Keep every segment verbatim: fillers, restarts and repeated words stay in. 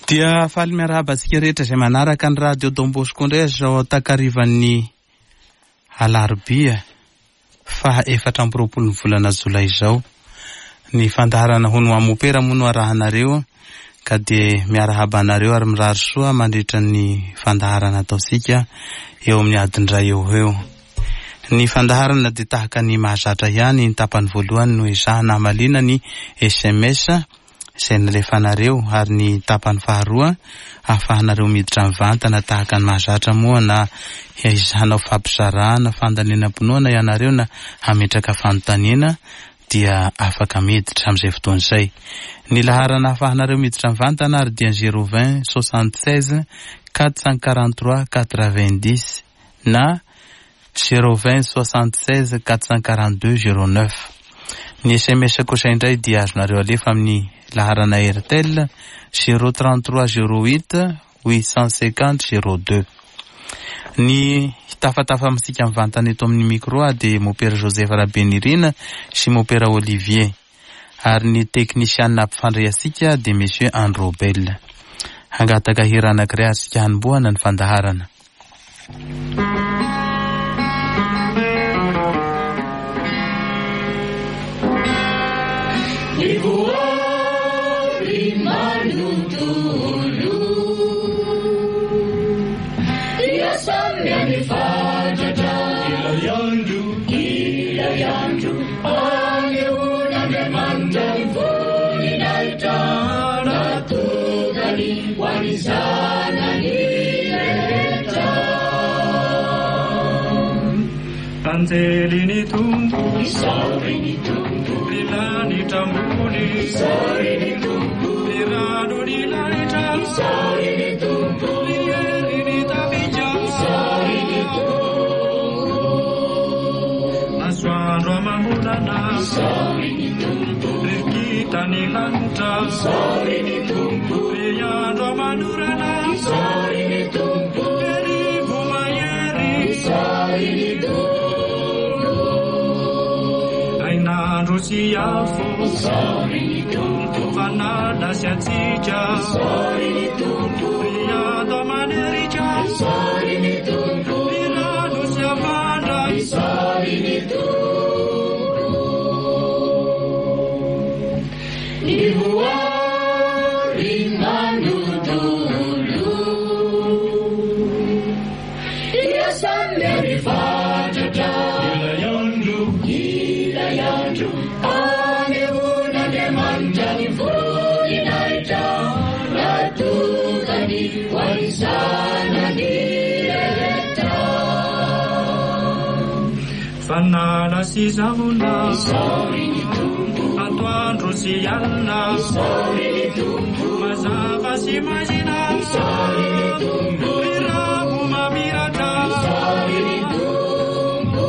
Dia faly miarahaba antsika rehetra izay manaraka ny radio Don Bosco indray izao takarivan'ny alarobia faha efatra amby roapolo ny volana jolay izao. Ny fandaharana hono amopera moa no arahanareo ka dia miarahaba anareo ary mirary soa mandritra ny fandaharana ataontsika eo amin'ny adiny iray eo ho eo. Ny fandaharana dia tahaka ny mahazatra ihany, ny tapany voalohany no ezahana hamaliana ny S M S izay nalefanareo ary ny tapany faharoa ahafahanareo miditra mivantana tahaka ny mahazatra moa na hanao fampizarana fandalinam-pinoana ianareo na hametraka fanontaniana dia afaka miditra amin'izay fotoana izay. Ny laharana ahafahanareo miditra mivantana ary dia zéro vingt soixante-seize quatre cent quarante-trois quatre-vingt-dix na zéro vingt soixante-seize quatre cent quarante-deux zéro neuf. Ny S M S kosa indray dia azonareo alefa amin'ny laharana Airtel zéro trente-trois zéro huit huit cent cinquante zéro deux. Ny hitafatafa amintsika mivantana eto amin'ny micro dia Mopera Joseph Rabenirina sy Mopera Olivier ary ny teknisianina ampifandray antsika dia Monsieur Androbel. Hangataka hira anankiray antsika hanombohana ny fandaharana. Anjely ny Tompo, isaory ny Tompo, ny lanitra ambony, isaory ny Tompo, ny rano ny lanitra, isaory ny Tompo, ny hery ny tafika, isaory ny Tompo, masoandro amam-bolana, isaory ny Tompo, ry kintany lanitra, isaory ny Tompo, ry andro aman'orana, isaory ny Tompo, ry rivo mahery, isaory ny Tompo. Andro sy afo, isaory ny Tompo, fanala sy antsika, isaory ny Tompo, ry ando aman'erika, isaory ny Tompo, ry rano sy avandra, isaory ny Tompo. Ny voary manontolo dia samy mifatratra, ilay andro, ilay andro anehoan'Andriamanitra ny voninahitra natokany ho an'ny zanany rehetra. Fanala sy zavona, isaory ny Tompo, atoandro sy alina, isaory ny Tompo, mazava sy maizina, isaory ny Tompo, ry rano mamiratra, isaory ny Tompo,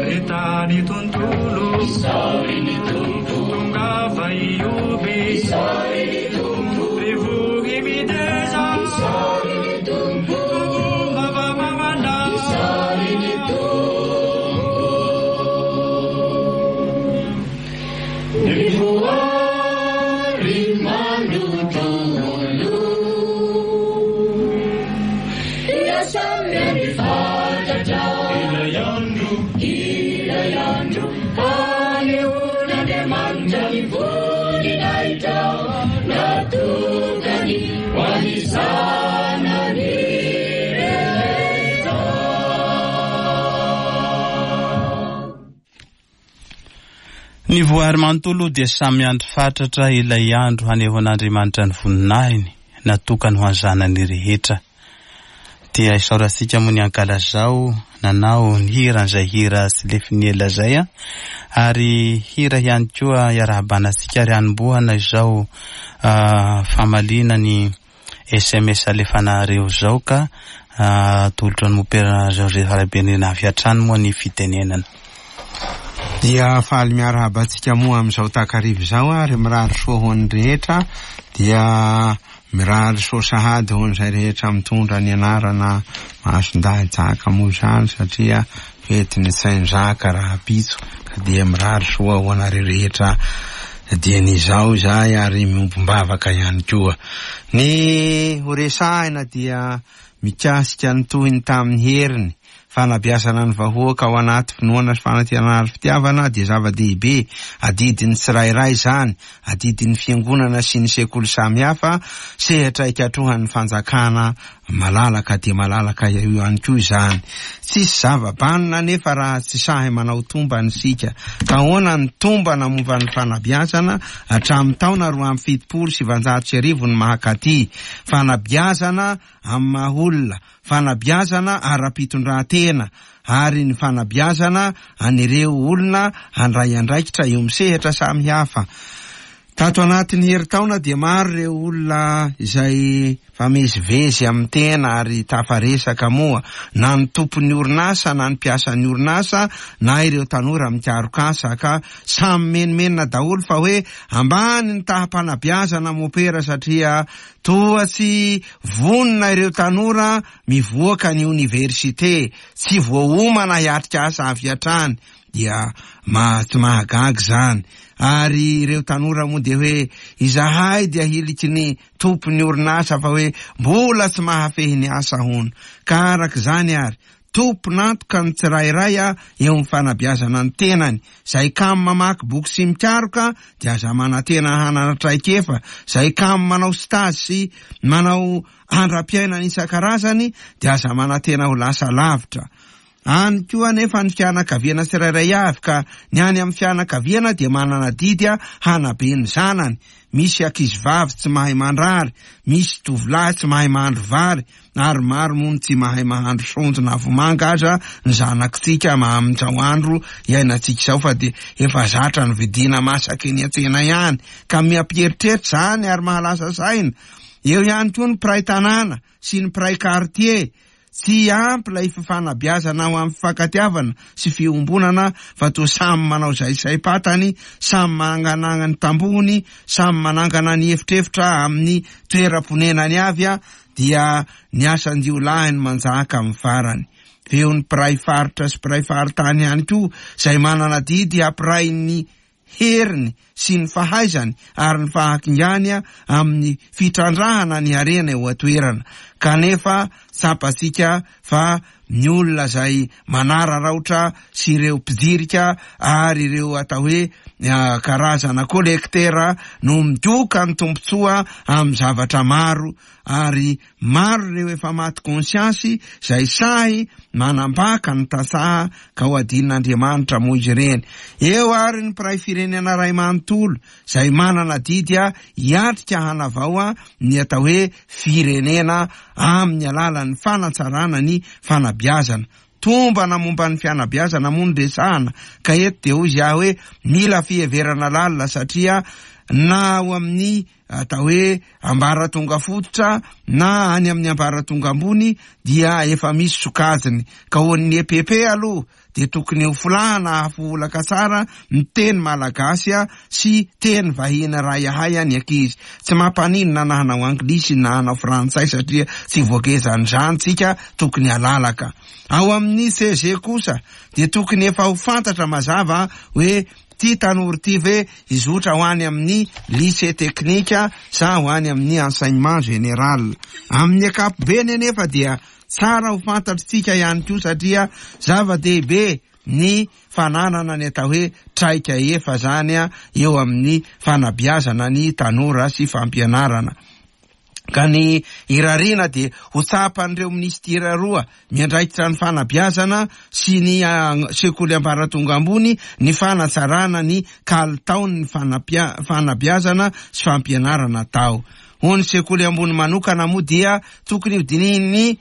ry tany tontolo, isaory ny Tompo, tongava hioby, isaory ny Tompo, ry voky mideza, isaory ny Tompo, vava mamana, isaory ny Tompo. Ny voary manontolo dia samy mifatratra, ilay andro, ilay andro anehoan'Andriamanitra ny voninahitra natokany ho an'ny zanany rehetra. Ny voary manontolo dia samy andro fatratra ilay andro hanehoan'Andriamanitra ny voninahiny natokany ho an'ny zanany rehetra. Dia isaorantsika moa ny ankalazao nanao ny hira izay hira sy lefin'ny ela izay, ary hira ihany koa iarahabana antsika ary hanombohana izao famaliana ny S M S alefanareo izao ka atolotra ny Mopera Joseph Rabenirina avy hatrany moa ny fitenenana. Dia faly miarahaba antsika moa amin'izao takariva izao ary mirary soa ho an'ny rehetra, dia mirary soa sahady ho an'izay rehetra mitondra ny anarana Masindahy Jaka moa izany satria fety ny Saint Jacques rahampitso, ka dia mirary soa ho anareo rehetra Dieny izao izahay ary miombom-bavaka ihany koa. Ny horesahina dia mikasika ny tohiny tamin'ny heriny. Fanabeazana ny vahoaka ao anaty finoana sy fanantenana ary fitiavana dia zava-dehibe. Adidin'ny tsirairay izany, adidin'ny fiangonana sy ny sekoly samihafa, sehatra ikatrohan'ny fanjakana malalaka dia malalaka io ihany koa izany. Tsisy zava-banona nefa raha tsy sahy manao tombana isika. Ka ahoana ny tombana momba ny fanabeazana hatramin'ny taona roa amby fitopolo sy sivanjato sy arivo ny mahakaty? Fanabeazana amin'ny maha olona, fanabeazana ara-pitondrantena ary ny fanabeazana an'ireo olona handray andraikitra eo amin'ny sehatra samihafa. Tato anatin'ny herintaona dia maro ireo olona izay famezivezy amin'ny tena ary tafaresaka moa, na ny tompon'ny orinasa na ny mpiasan'ny orinasa na ireo tanora mikaroka asa, ka samy menomenona daholo fa hoe ambany ny taham-panabeazana mopera satria toa tsy vonona ireo tanora mivoaka ny oniversite, tsy voaomana hiatrika asa avy hatrany. Dia ma- tsy mahagaga izany. Ary ireo tanora moa dia hoe izahay dia hiliky ny tompon'ny orinasa fa hoe mbola tsy mahafehy ny asa hono. Ka araka izany ary tompon'antoka ny tsirairay a eo amin'ny fanabeazana ny tenany. Izay kamo mamaky boky sy mikaroka dia aza manantena hanana traikefa. Izay kamo manao stage sy manao andram-piainana isan-karazany dia aza manantena ho lasa lavitra. Any koa nefa ny fianakaviana tsirairay avy, ka ny any amin'ny fianakaviana dia manana adidy hanabe ny zanany. Misy ankizivavy tsy mahay mandrary, misy tovolahy tsy mahay mahandro vary, ary maro moa ny tsy mahay mahandro saonjo na vomanga aza ny zanakitsika amin'izao andro iainantsika izao, fa dia efa zatra ny vidiana masaka eny an-tsena ihany. Ka miampieritreritra izany ary mahalasa saina. Eo ihany koa ny mpiray tanàna sy ny mpiray quartier. Tsy ampy ilay fifanabeazana ho amin'ny fifankatiavana sy fiombonana, fa toa samy manao izay saim-patany, samy manangana ny tambohony, samy manangana ny efitrefitra amin'ny toeram-ponenany avy, dia ny asan-jiolahy ny manjaka amin'ny farany. Eo ny mpiray faritra sy mpiray faritany ihany koa izay manana adidy hampiray ny heriny sy ny fahaizany ary ny fahakingany amin'ny fitrandrahana ny harena eo an-toerana. Kanefa tsapantsika fa ny olona izay manararaotra sy ireo mpijirika ary ireo atao hoe karazana kolektera no migoka ny tombontsoa amin'ny zavatra maro, ary maro ireo efa maty konsiansy izay sahy manambaka ny tantsaha ka ho adinon'Andriamanitra moa izy ireny. Eo ary ny mpiray firenena ray manontolo izay manana adidy hiatrika hanavao ny atao hoe firenena amin'ny alalan'ny fanatsarana ny fanabeazana. Tombana momba ny fianabeazana moa no resahana, ka eto dia hoy izy aho hoe mila fiheverana lalina, satria na ao amin'ny atao hoe ambaratonga fototra na any amin'ny ambaratonga ambony dia efa misy sokajiny. Ka ho an'ny E P P aloha dia tokony ho folahana hahafolaka tsara ny teny malagasy sy teny vahiny ray ahay ny ankizy. Tsy mampaninona na hanao anglisy na hanao frantsay satria tsy voagejan'izany tsika, tokony halalaka. Ao amin'ny C G kosa dia tokony efa ho fantatra mazava hoe ty tanora ty ve hizotra ho any amin'ny lycée technique sa ho any amin'ny enseignement général. Amin'ny ankapobeny anefa dia tsara ho fantatritsika ihany koa, satria zava-dehibe ny fananana ny atao hoe traika efa zany a eo amin'ny fanabeazana ny tanora sy fampianarana. Ka ny irariana dia ho tsapan'ireo minisitera roa miandraikitra ny fanabeazana sy ny, ah, sekoly ambaratonga ambony ny fanatsarana ny kalitaon'ny fanapia-, fanabeazana sy fampianarana atao. Ho ny sekoly ambony manokana moa dia tokony hodinihin'ny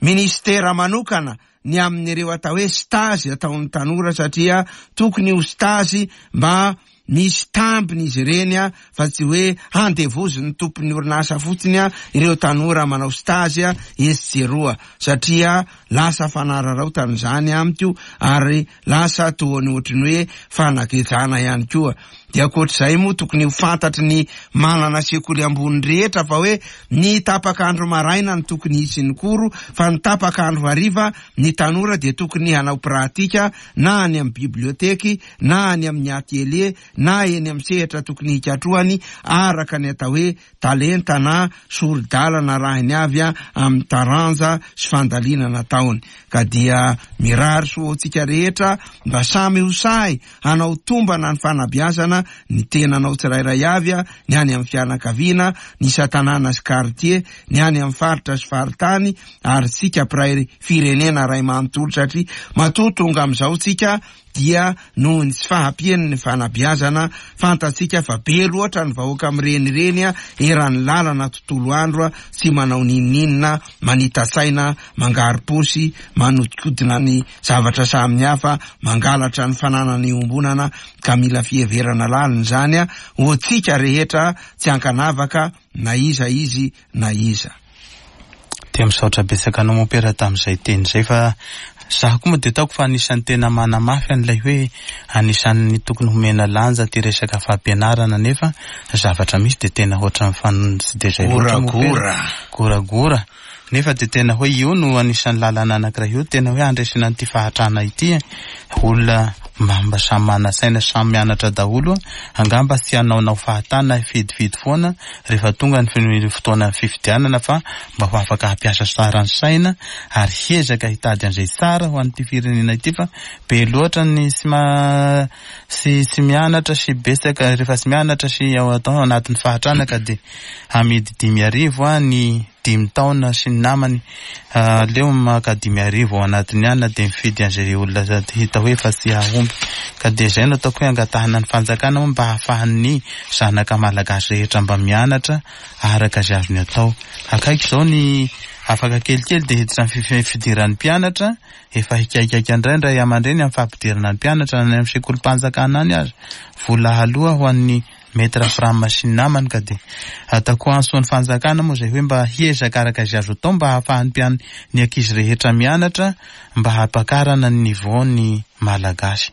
ministera manokana ny amin'ireo atao hoe stage ataon'ny tanora, satria tokony ho stage mba misy tambiny izy ireny a, fa tsy hoe handevozin'ny tompon'ny orinasa fotsiny a ireo tanora manao stage a etsy sy eroa, satria lasa fanararaotana izany amiko ary lasa toa ny ohatry ny hoe fanagejana ihany koa. Dia ankoatr'izay moa tokony ho fantatry ny manana sekoly ambony rehetra fa hoe ny tapak'andro maraina no tokony hisy ny koro, fa ny tapak'andro hariva ny tanora dia tokony hanao pratika na any amin'ny biblioteky na any amin'ny atelier na eny amin'ny sehatra tokony hikatrohany araka ny atao hoe talenta na sori-dalana rahiny avy a amin'ny taranja sy fandalinana ataony. Ka dia mirary soa antsika rehetra mba samy ho sahy hanao tombana ny fanabeazana ny tenanao tsirairay avy a, ny any amin'ny fianakaviana, ny isan-tanàna sy quartier, ny any amin'ny faritra sy faritany, ary tsika mpiray firenena ray manontolo, satria matoa tonga amin'izao tsika dia noho ny tsy fahampian'ny fanabeazana. Fantatsika fa be loatra ny vahoaka mirenireny a eran'ny lalana tontolo andro a, tsy manao n'inon'inona, manita-tsaina, mangaro-posy, manodikodina ny zavatra samihafa, mangalatra ny fananana iombonana, ka mila fiheverana lalina izany a ho antsika rehetra tsy ankanavaka na iza izy na iza. Dia misaotra betsaka anao mompera tamin'izay teny izay, fa zaho koa moa dia ataoko fa anisan'ny tena manamafy an'ilay hoe anisan'ny tokony homena lanja ty resaka fampianarana, nefa zavatra misy dia tena ohatran'ny fan-, tsy dia izay loatra mompera. Goragora. Goragora. Nefa dia tena hoe io no anisan'ny lalana anankiray io, tena hoe andresena an'ity fahatrana ity. Olona mba, mba samy mana-tsaina, samy mianatra daholo, angamba tsy hanaonao fahatana hifidifidy foana rehefa tonga ny fi-, fotoana fifidianana, fa mba ho afaka hampiasa tsara ny saina ary hiezaka hitady an'izay tsara ho an'ity firenena ity, fa be loatra ny tsy ma-, sy tsy mianatra sy betsaka rehefa tsy mianatra sy ao atao anatin'ny fahatrana, ka dia amidy dimy arivo a ny dimy taona sy ny namany, ah, leo maka dimy arivo ao anatiny any dia mifidy an'izay olona sady hita hoe fa tsy hahomby. Ka dia izay no ataoko hoe angatahana ny fanjakana moa mba hahafahan'ny zanaka malagasy rehetra mba mianatra araka izay azony atao. Akaiky izao ny afaka kelikely dia hiditra ny fifi-, fidiran'ny mpianatra, efa hikaikaika indray ny ray aman-dreny amin'ny fampidirana ny mpianatra any amin'ny sekolim-panjakana any aza. Vola aloha ho an'ny maître Fram sy ny namany, ka dia ataoko antso ny fanjakana moa izay hoe mba hiezaka araka izay azo atao mba hahafahan'ny mpian-, ny ankizy rehetra mianatra mba hampakarana ny niveau ny malagasy.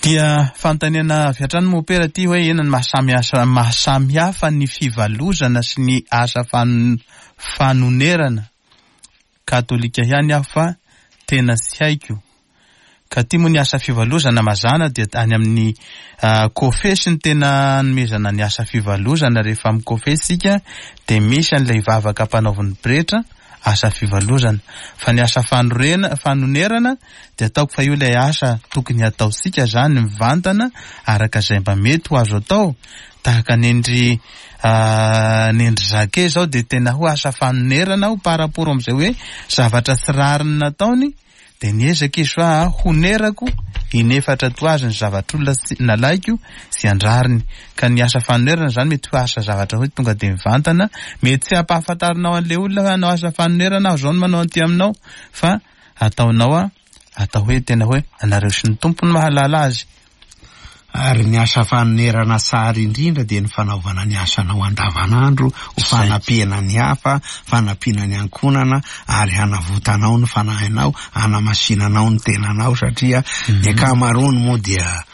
Dia fanontaniana avy hatrany mompera ty hoe inona ny mahasamy asa, mahasamihafa ny fivalozana sy ny asa fan-, fanonerana. Katolika ihany aho fa tena tsy haiko. Ka ty moa ny asa fivalozana mazàna dia any amin'ny, ah, kofesy ny tena anomezana ny asa fivalozana. Rehefa amin'ny kofesy isika dia misy an'ilay vavaka ampanaovin'ny pretra, asa fivalozana. Fa ny asa fanorena, fanonerana dia ataoko fa io ilay asa tokony hataontsika zany mivantana araka izay mba mety ho azo atao. Tahaka nendry, ah, nendry zake zao dia tena ho asa fanonerana ho par rapport amin'izay hoe zavatra tsy rariny nataony, dia niezaka izy fa honerako inefatra to azy ny zavatr'olona tsy nalaiko sy andrariny. Ka ny asa fanonerana zany mety ho asa zavatra hoe tonga dia mivantana, mety tsy hampahafantarinao an'ilay olona hoe hanao asa fanonerana aho zao no manao an'ity aminao, fa ataonao a, atao hoe tena hoe anareo sy ny tompo no mahalala azy. Ary ny asa fanonerana tsara indrindra dia ny fanaovana ny asanao andavanandro ho Zay. fanampiana ny hafa, fanampiana ny ankohonana, ary hanavotanao ny fanahinao, hanamasinanao ny tenanao, satria Mhm. ny ankamaroany moa dia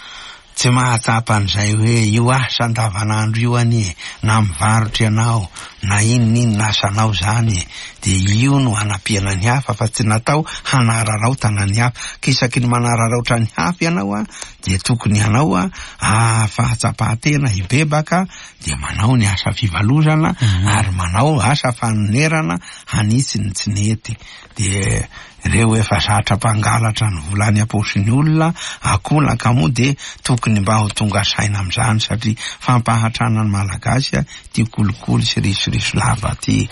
tsy mahatsapa an'izay hoe io asa andavanandro io anie, na mivarotra ianao, na inon'inona asanao zany, dia io no hanampiana ny hafa, fa tsy natao hanararaotana ny hafa. Ka isaky ny manararaotra ny hafa ianao a, dia tokony ianao a, a, fahatsapan-tena hibebaka, dia manao ny asa fivalozana, Mhm. ary manao asa fanonerana hanitsy ny tsy nety. Dia ireo efa zatra mpangalatra ny vola any am-paosin'ny olona, akolaka moa dia tokony mba ho tonga saina amin'izany, satria fampahantrana ny malagasy a, ty kolikoly sy risoriso lava ty.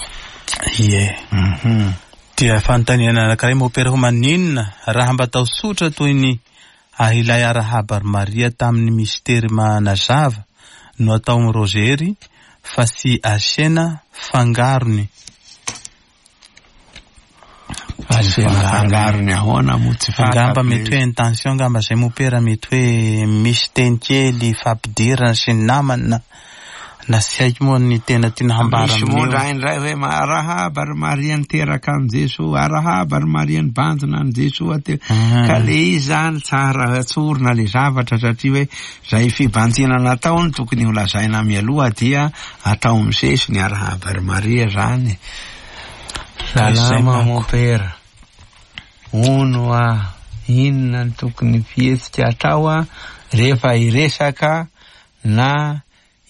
Ie. Mhm. Dia fanontaniana anankiray mompera ho maninona raha mba atao tsotra toy ny ilay arahaba ry Maria tamin'ny mistery manazava no atao amin'ny rozery fa tsy asiana fangarony. Asiana fangarony ahoana moa tsy Angamba fantatro mety hoe izy. intention, angamba zay mompera mety hoe misy teny kely fampidirana sy ny namany na, na tsy haiko moa ny tena tiana hambara Misy moa amin'io. indraindray hoe ma-, arahaba ry Maria niteraka an'i Jesoa, arahaba ry Maria nibanjina an'i Jesoa teo. Mhm. Ka le izy zany tsara tsorina le zavatra, satria hoe zay fibanjina nataony tokony ho lazaina mialoha dia atao misesy ny arahaba ry Maria zany. Zay Salama manko. mompera. Ono a, inona ny tokony fihetsika atao a rehefa hiresaka na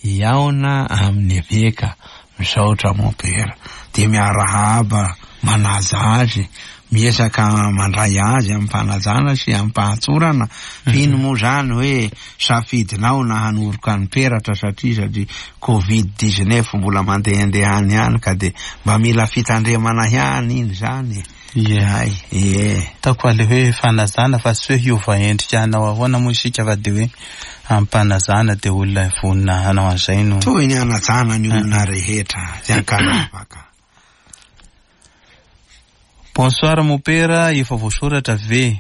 hihaona amin'ny eveka. Misaotra mompera. Dia miarahaba manaja azy, miezaka mandray azy amin'ny fanajana sy amin'ny fahatsorana. Ino moa zany hoe safidinao na hanoroka ny peratra satria satria covid dix-neuf mbola mandehandeha any ihany ka de mba mila fitandremana ihany iny zany. Ie. Ay, ie. Ataoko fa le hoe fanajana fa tsy hoe hiova endrika hanao ahoana moa isika fa de hoe ampanajana de olona vonona hanao an'izay no. Toy ny hanajana ny olona rehetra, tsy ankanavaka. Bonsoir mompera, efa voasoratra ve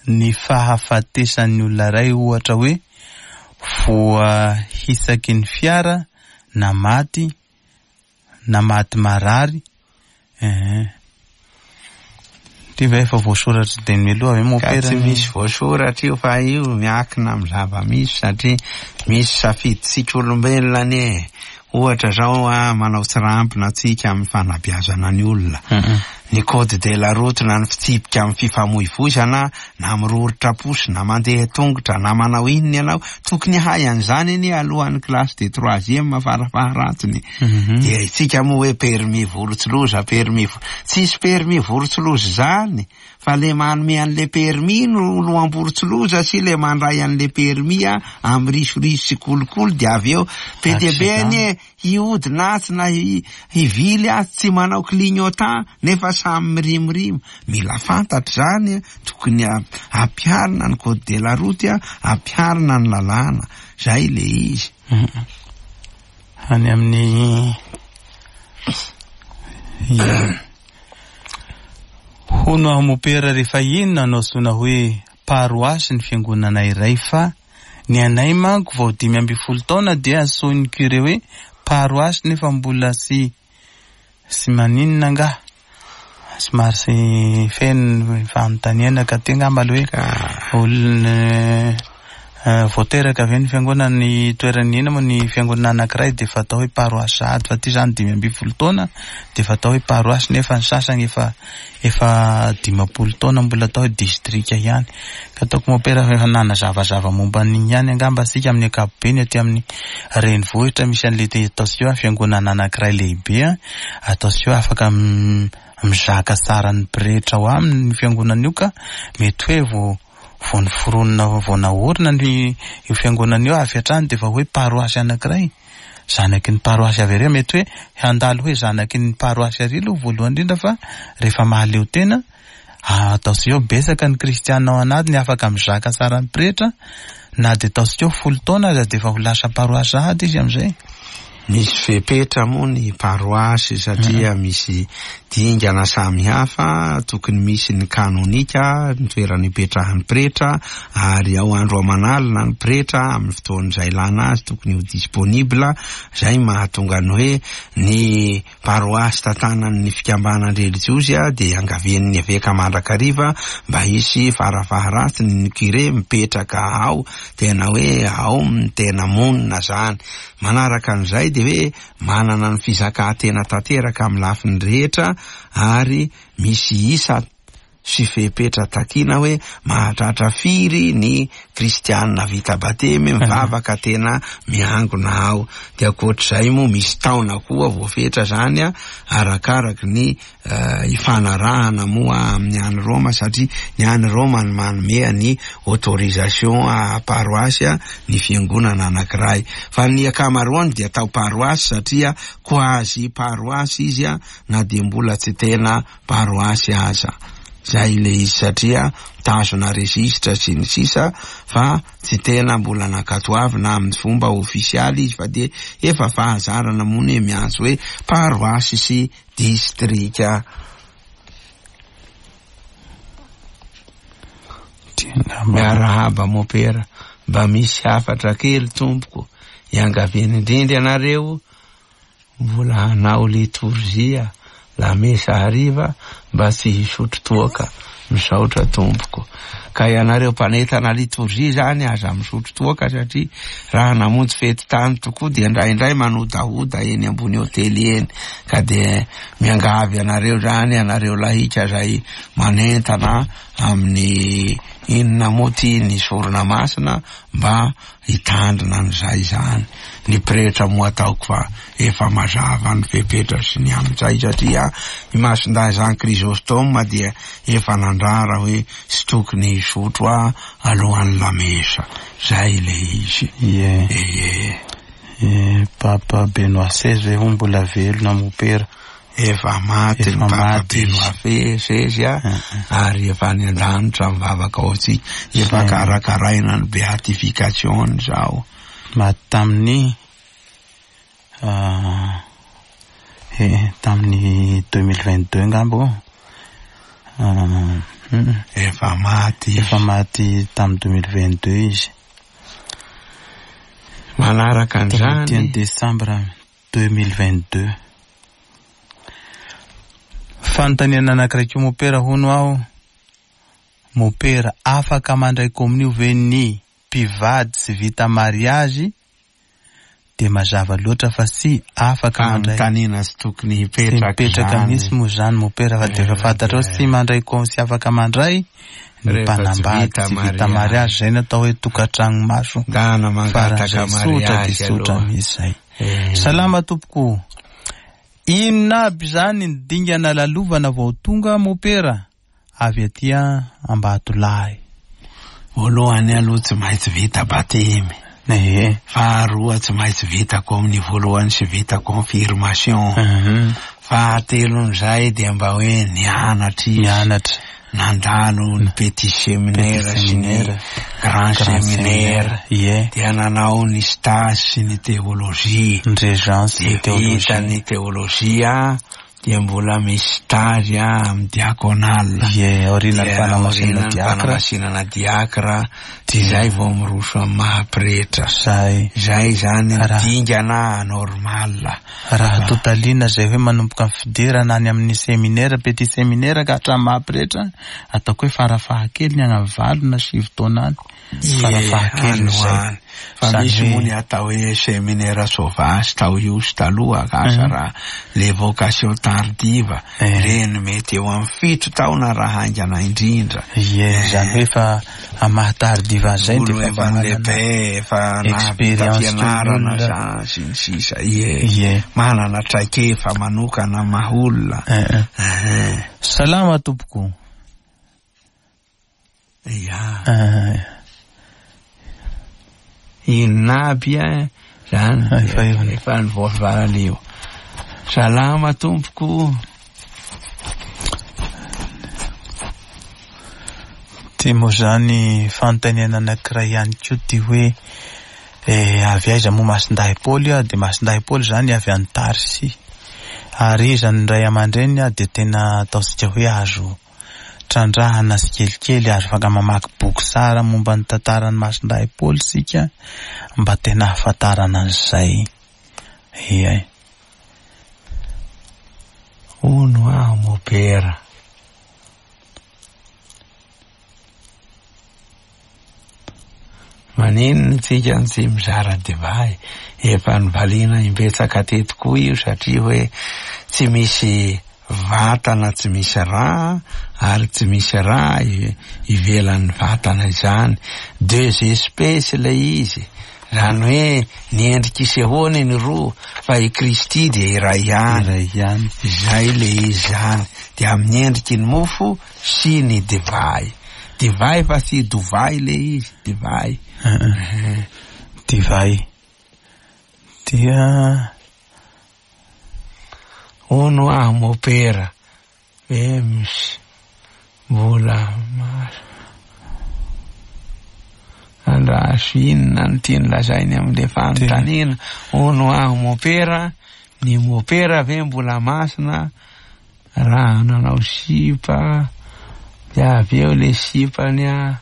ny fahafatesan'ny olona iray ohatra hoe voahisaky ny fiara na maty na maty marary? Eh. Ty va efa voasoratra dia mialoha ve mompera? Ka tsy misy voasoratra io fa io miankina amin'ny zava-misy satria misy safidintsika olombelona anie. Ohatra zao a, manao tsirambina antsika amin'ny fanabeazana ny olona. Mhm. Ny code de la route na ny fitsipika amin'ny fifamoivoizana, na miroritra posy, na mandeha tongotra, na manao inona ianao, tokony hay an'izany anie alohan'ny classe de troisième farafaharatsiny. Mhm. Dia isika moa hoe permis vorotsiloza, permis vo-, tsisy permis vorotsiloza zany, fa le manome an'le permis no lohamborontsiloza sy le mandray an'le permis a, amin'ny risoriso sy kolikoly, dia avy eo be dia be Accident. anie hiodina atsy na hi-, hivily atsy, tsy manao clignotant nefa samy mirimorimo. Mila fantatra zany, tokony a-, ampiharina ny code de la route, ampiharina ny lalàna, zay le izy. Mhm. Any amin'ny Ia. Hono aho mompera, rehefa inona no antsoina hoe paroasy ny fiangonana iray, fa ny anay manko vao dimy ambin'ny folo taona dia antsoin'ny curé hoe paroasy nefa mbola tsy, tsy maninona angaha. Somary tsy feno ny fanontaniana ka te angamba aloha hoe Ka. olona, eh, voateraka avy ny fiangonana, ny toerana inona moa ny fiangonana anankiray dia efa atao hoe paroasy sahady, fa ty zany dimy ambin'ny folo taona dia efa atao hoe paroasy, nefa ny sasany efa, efa dimampolo taona mbola atao hoe distrika ihany. Ka ataoko mompera fa efa nanazavazava momba an'iny ihany angamba isika amin'ny ankapobeny aty amin'ny renivohitra misy an'ilay te ataontsika hoe fiangonana anankiray lehibe a, ataontsika hoe afaka m-, mizaka tsara ny pretra ao aminy ny fiangonana io, ka mety hoe vao, vao niforonina, vao naorina ny io fiangonana io avy hatrany dia efa hoe paroasy anankiray, zanaky ny paroasy avy ary, mety hoe handalo hoe zanaky ny paroasy ary aloha voalohany indrindra, fa rehefa mahaleo tena, ataontsika hoe betsaka ny kristiana ao anatiny afaka mizaka tsara ny pretra, na dia ataontsika hoe folo taona aza dia efa ho lasa paroasy sahady izy amin'izay. Misy fepetra moa ny paroasy satria Mhm. misy dingana samihafa, tokony misy ny kanonika, ny toerana ipetrahan'ny pretra, ary ao andro aman'alina ny pretra amin'ny fotoan'izay ilana azy tokony ho disponible. Zay mahatonga ny hoe ny paroasy tantanan'ny fikambanan-drelijiozy a, dia angavian'ny eveka mandrakariva mba hisy farafaharatsiny ny curé mipetraka ao, tena hoe ao ny tena monina zany. Manaraka an'izay dia hoe manana ny fizakatena tanteraka amin'ny lafiny rehetra, ary misy isa sy fepetra takina hoe mahatratra firy ny kristianina vita batemy mivavaka tena miangona ao. Dia ankoatr'izay moa misy taona koa voafetra zany a, arakaraky ny, eh, ifanarahana moa amin'ny any Roma, satria ny any Roma no manome ny autorisation a paroasy a, ny fiangonana anankiray. Fa ny ankamaroany dia atao paroasy satria quasi paroasy izy a, na dia mbola tsy tena paroasy aza. Zay le izy satria mitazona registre sy ny sisa, fa tsy tena mbola nankatoavina amin'ny fomba ofisialy izy, fa dia efa fahazarana moa ny miantso hoe paroasy sy distrika. Miarahaba mompera, mba misy hafatra kely tompoko, iangaviany indrindra ianareo mbola hanao litorjia la mesa hariva mba tsy hisotro toaka. Misaotra tompoko. Ka ianareo mpanentana litorjia zany aza misotro toaka satria raha namonjy fety tany tokoa dia indraindray manodahoda eny ambony hotely eny, ka dia miangavy anareo zany, anareo lahika zay manentana amin'ny inona moa ty ny sorona masina mba hitandrina an'izay zany. Ny pretra moa ataoko fa efa mazava ny fepetra sy ny amin'izay satria i Masindahy Jean Chrysostome dia efa nandrara hoe tsy tokony hisotro a alohan'ny lamesa. Zay le izy. Ie. Ie. E, Papa Benoît seize ve ho mbola velona mopera? Efa maty ny Efa Papa maty izy. Benoît seize a, ary efa any an-danitra mivavaka ao antsika. Efa Zay. karakaraina ny beatification zao. Maty tamin'ny ah, eh, tamin'ny deux mille vingt-deux angamba ô. Ah, mm, Efa maty izy. Efa maty tamin'ny deux mille vingt-deux izy. Manaraka trente et un an'izany décembre deux mille vingt-deux. Fanontaniana anankiray koa mopera hono aho. Mopera, afaka mandray komonio ve ny mpivady tsy vita mariazy? De mazava loatra fa tsy afaka mandray. Fanontaniana tsy tokony Tsy hipetraka mipetraka zany. mihitsy moa zany mopera, fa de efa fantatrao tsy mandray kom-, tsy afaka mandray ny Rehefa tsy mpanambady vita tsy vita mariazy. mariazy. Zay natao hoe tokantrano maso. Dana mangataka Faran'izay tsotra de mariazy tsotra aloha. mihitsy zay. Eh. Salama tompoko. Inona aby zany ny dingana lalovana vao tonga mopera avy aty Ambatolahy? Voalohany aloha tsy maintsy vita batemy. Ee. Faharoa tsy maintsy vita amin'ny voalohany sy vita confirmation. Mhm. Fahatelon'izay dia mba hoe nianatra izy. Nianatra. Nandalo ny petit séminaire Petit sy ny séminaire. grand Grand séminaire. séminaire. Ie. Dia nanao ny stage sy ny théologie. Ny régence sy Dia ny théologie. vita ny théologie dia mbola misy stage amin'ny diaconal. Ie, aorian'ny Dia fanamasinana aorian'ny diakra. fanamasinana diakra, dia zay vao miroso amin'ny maha-pretra. Zay. Zay zany ny Raha- dingana normal. Raha totalina zay hoe manomboka ny fidirana any amin'ny séminaire, petit séminaire ka hatramin'ny maha-pretra, ataoko hoe farafahakeliny any amin'ny valo na sivy taona any. Farafahakeliny Ie, zay. any ho any. Fa Zany misy hoe- moa ny atao hoe séminaire sauvage tao io sy taloha ka asa Mhm. raha le vocation tardive Eh. reny mety eo amin'ny fito taona raha haingana indrindra. Ie, zany hoe efa amin'ny maha-tardive an'izay dia Olo efa efa manana lehibe, efa nahavita expérience fianarana olona. zany sy ny sisa. Ie. Ie. Manana traikefa manokana maha olona. Eh, eh. Eh, Salama tompoko. Ia. Eh, Inona aby eh, zany Efa eo. efa nivoavaly io. Salama tompoko. Ty moa zany fanontaniana anankiray ihany koa ty hoe eh, avy aiza moa Masindahy Paoly a? De Masindahy Paoly zany avy any Tarsy. Ary iza ny ray aman-dreniny a, de tena ataontsika hoe azo trandrahana sy kelikely, azo afaka mamaky boky tsara momba ny tantaran'ny Masindahy Paoly sika mba tena ahafantarana an'izay. Ie. Hono aho mopera. Maninona tsika no tsy mizara divay? Efa nivaliana imbetsaka teto koa io satria hoe tsy misy vatana, tsy misy rà, ary tsy misy rà i-, ivelan'ny vatana izany. Deux espèces ilay izy. Zany hoe ny endrika isehoany ny roa, fa i Kristy dia iray ihany. Iray ihany. Zay le izy zany. Dia amin'ny endriky ny mofo sy ny divay. Divay fa tsy dovay le izy, divay. Eh, eh. Divay. Dia Hono aho mopera. Ve misy mbola maro. Andraso inona no tiany lazainy amin'le fanontaniana. Hono aho mopera, ny mopera ve mbola masina raha nanao sipa, dia avy eo le sipany a,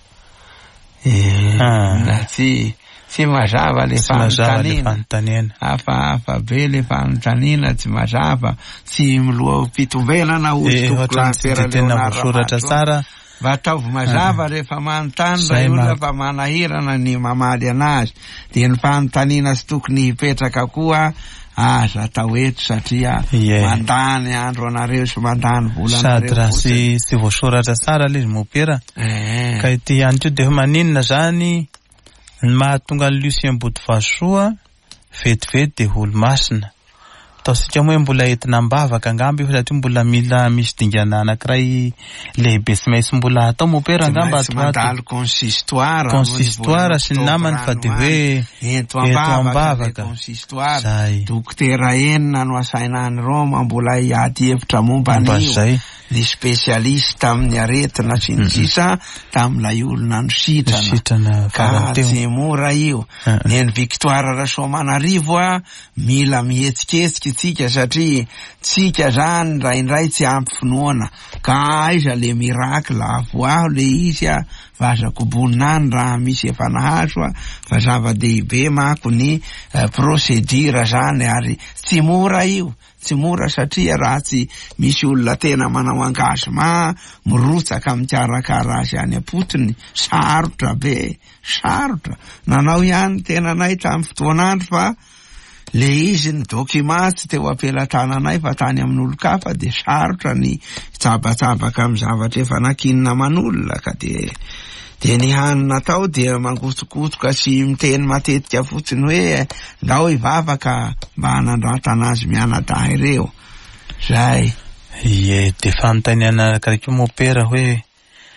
eh, Ah. na tsy, tsy mazava le Tsy mazava le fanontaniana. fanontaniana. Hafahafa be le fanontaniana, tsy mazava, tsy miloa-pitombenana hoy Eh, tompoko ohatran'ny tsy Lafera de tena Leonard voasoratra Ramatro. tsara. Mba ataovy mazava rehefa manontany ray olona fa manahirana ny mamaly anazy. Dia ny fanontaniana tsy tokony hipetraka koa aza atao eto satria mandany andro anareo sy mandany vola anareo. Sady raha tsy tsy voasoratra tsara ilay izy mopera. Ka ity ihany koa dia maninona zany ny mahatonga an'i Lucien Botovasoa vetivety dia olo-masina. Ataontsika moa hoe mbola entina am-bavaka angamba io satria mbola mila misy dingana anankiray lehibe tsy maintsy mbola atao mopera angamba ato mandalo consistoire consistoire sy ny namany fa dia hoe ento am-bavaka consistoire. Dokotera enina no asaina any Roma mbola hiady hevitra momba an'io. Ny spécialiste amin'ny aretina sy ny sisa tamin'ilay olona nositrana ka tsy mora io. Ny an'i Victoire Rasoamanarivo a mila mihetsiketsika tsika satria tsika zany indraindray tsy ampy finoana ka aiza le miracle avoaho le izy a fa aza kobonina any raha misy efa nahazo a fa zava-dehibe manko ny procédure zany ary tsy mora io. Tsy mora satria raha tsy misy olona tena manao engagement mirotsaka mikarakara azy any am-potony sarotra be, sarotra. Nanao ihany tenanay tamin'ny fotoan'andro fa le izy ny document tsy teo am-pelatananay fa tany amin'olon-kafa dia sarotra ny tsabatsabaka amin'ny zavatra efa nakinina aman'olona ka dia dia ny hany natao dia mangotokotoka sy miteny matetika fotsiny hoe ndao hivavaka mba hanandratana azy mianadahy ireo. Zay. Ie, dia fanontaniana anankiray koa mopera hoe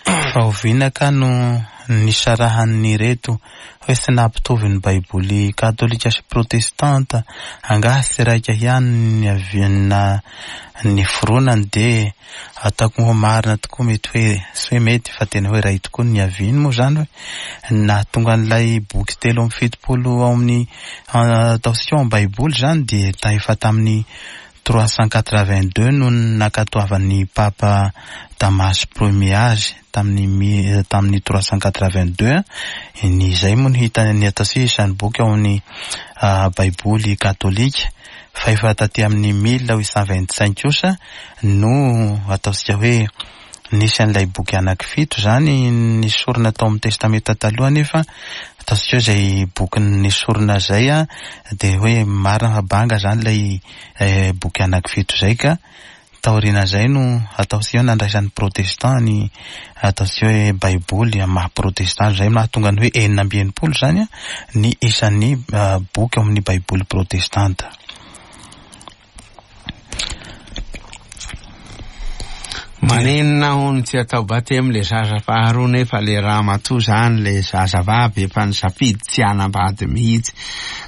fahoviana ka no nisarahan'ireto hoe tsy nampitovy ny Baiboly katolika sy protestanta angaha tsy raika ihany ny aviana ny foronany dia ataoko ho marina tokoa mety hoe tsy hoe mety fa tena hoe ray tokoa ny aviany moa zany hoe nahatonga an'ilay boky telo amby fitopolo ao amin'ny ataontsika ao amin'ny Baiboly zany dia efa tamin'ny trois cent quatre-vingt-deux no nankatoavan'ny Papa Damas premier azy tamin'ny tamin'ny trois cent quatre-vingt-deux ny izay moa no hita ny ataontsika isan'ny boky ao amin'ny Baiboly katolika fa efa taty amin'ny mille huit cent vingt-cinq kosa no ataontsika hoe nisy an'ilay boky anankifito zany nisorona tao amin'ny Testamenta taloha nefa ataontsika hoe izay boky nisorona zay a dia hoe marina fa banga zany ilay boky anankifito zay ka taoriana zay no ataontsika hoe nandraisan'ny protestant ny ataontsika hoe Baiboly amin'ny maha protestant zay mahatonga ny hoe enina amby enimpolo zany a ny isan'ny boky ao amin'ny Baiboly protestanta. Maninona hono tsy atao batemy le zaza faharoa nefa le ramatoa zany le zazavavy efa nisafidy tsy hanambady mihitsy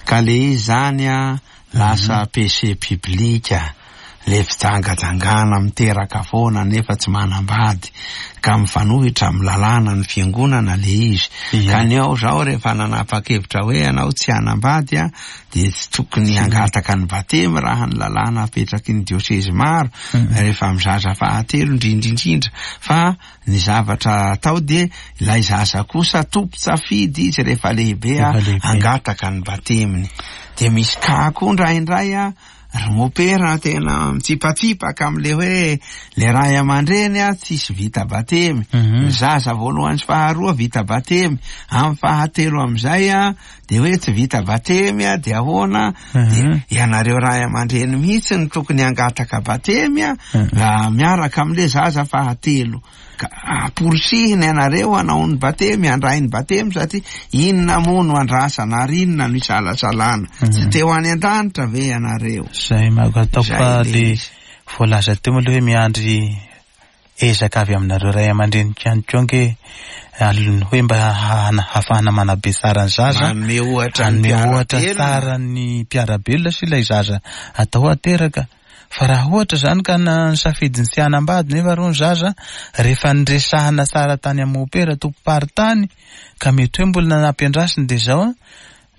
ka le izy zany a lasa péché public le fijangajangana miteraka foana nefa tsy manambady ka mifanohitra amin'ny lalàna ny fiangonana le izy. Ka ny ao zao rehefa nanapa-kevitra hoe ianao tsy hanambady a dia tsy tokony hangataka ny batemy raha ny lalàna apetraky ny diosezy maro rehefa mizaza fahatelo indrindrindrindra fa ny zavatra atao dia ilay zaza kosa tompo-tsafidy izy rehefa lehibe a hangataka ny bateminy. Dia misy ka koa indraindray a ry mopera tena mitsipatsipaka am'le hoe le ray aman-dreny a tsisy vita batemy, ny zaza voalohany sy faharoa vita batemy, amin'ny fahatelo am'izay a dia hoe tsy vita batemy a dia ahoana dia ianareo ray aman-dreny mihitsy no tokony hangataka batemy a miaraka am'le zaza fahatelo. Ka amporisihina ianareo hanao ny batemy, handray ny batemy satria inona moa no andrasana ary inona no isalasalana. Tsy teo any an-danitra ve ianareo? Zay manko ataoko fa le voalaza teo moa le hoe miandry ezaka avy aminareo ray aman-dreny ihany koa ange alony hoe mba hahafahana manabe tsara ny zaza, manome ohatra ny ohatra tsara ny mpiara-belona sy ilay zaza atao ateraka. Fa raha ohatra zany ka nisafidy ny tsy hanambady nefa roa ny zaza rehefa niresahana tsara tany amin'ny mopera tompom-paritany ka mety hoe mbola nanampiandrasiny dia zao a